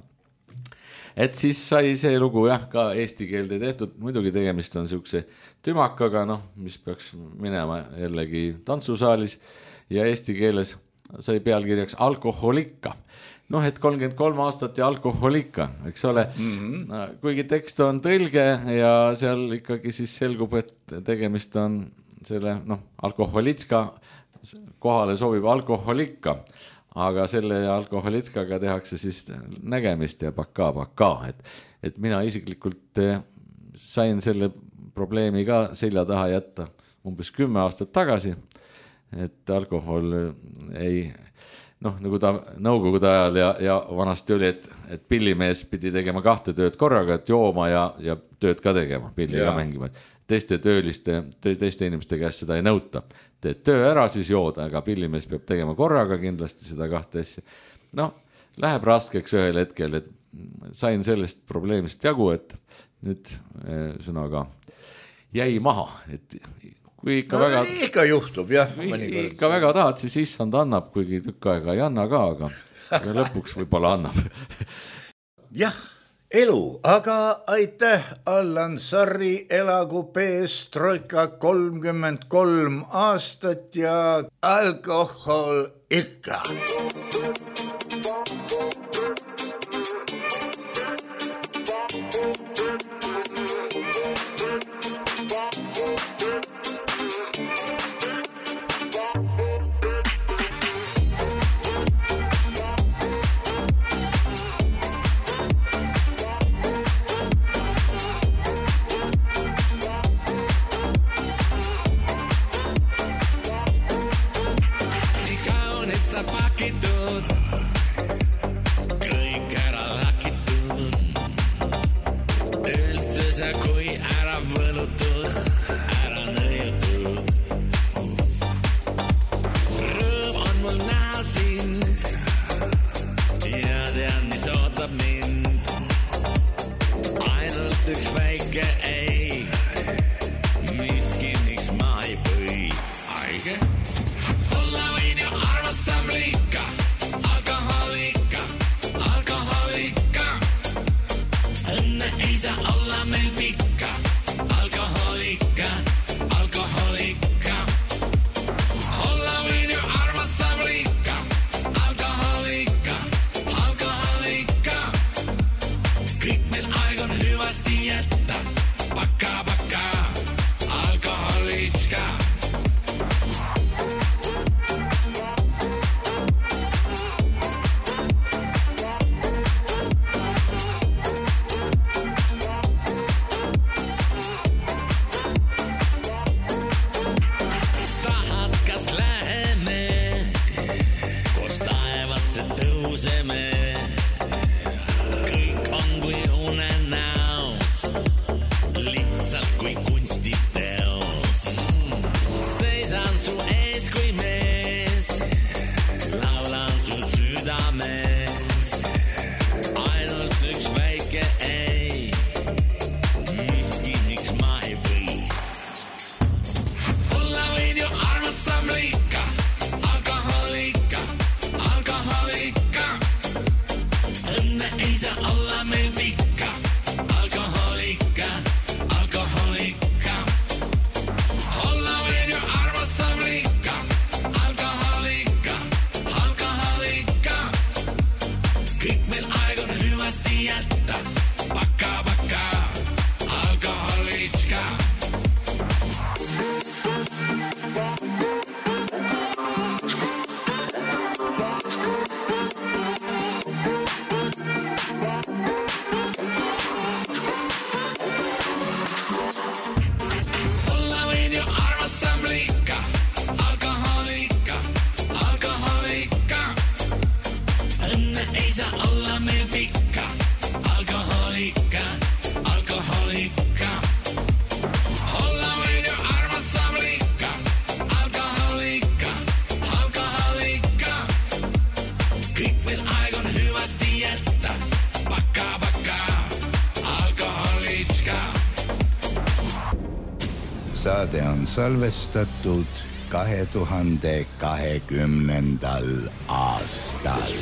Et siis sai see lugu ka eesti keelde tehtud, muidugi tegemist on siukse tümakaga, mis peaks minema jällegi tantsusaalis ja eesti keeles sai pealkirjaks Alkoholikka. Et 33 aastat ja alkoholikka, eks ole. Kuigi tekst on tõlge ja seal ikkagi siis selgub, et tegemist on selle alkoholitska kohale sobib alkoholikka, aga selle alkoholitskaga tehakse siis nägemist ja paka. Et mina isiklikult sain selle probleemi ka selja taha jätta umbes 10 aastat tagasi, et alkohol ei, nagu ta nõukogude ajal ja vanasti oli, et pillimees pidi tegema 2 tööd korraga, et jooma ja tööd ka tegema, pilli ka mängima. Teiste inimeste käest seda ei nõuta. Teed töö ära, siis jooda, aga pillimees peab tegema korraga kindlasti seda 2 asja. Läheb raskeks ühel hetkel, et sain sellest probleemist jagu, et nüüd sõnaga jäi maha, et kui ikka juhtub, jah. Ikka väga tahad, siis issand annab, kuigi tükk aega ei anna ka, aga lõpuks võib-olla annab. Jah, elu, aga aitäh, Allan Sarri, elagu peestroika 33 aastat ja alkohol ikka. pakitud, kõik ära lakitud, üldse sa kui ära võlutud, ära nõiutud. Rõõm on mul näha sind ja tean, mis ootab mind. Ainult üks väike ei, miski miks ma ei või. Aige? Olla võin ju armasam liika, alkoholika, alkoholika. Õnne ei saa olla meil pikka, alkoholika, alkoholika. Olla võin ju armasam liika, alkoholika, alkoholika. Kõik meil aeg on hyvästi jätta, paka, paka, alkoholitska. Tahad, kas läheme, koos taevasse tõuseme. Kõik on kui unenäos, lihtsalt kui kunstiteos. Seisan su ees kui mees, laulan su südames. Ainult üks väike ei, miski miks ma ei või. Olla võin ju armasam liika, alkoholika, alkoholika. Õnne ei saa olla meil pikka, alkoholika, alkoholika. Olla võin ju armasam liika, alkoholika, alkoholika. Kõik meil aeg on hyvästi jätta, paka, paka, alkoholitska. Olla võin ju armasam liika, alkoholika, alkoholika. Õnne ei saa olla meil pikka, alkoholika, alkoholika. Olla võin ju armasam liika, alkoholika, alkoholika. Kõik meil aeg on hyvästi jätta, paka, paka, alkoholitska. Saade on salvestatud 2020. aastal.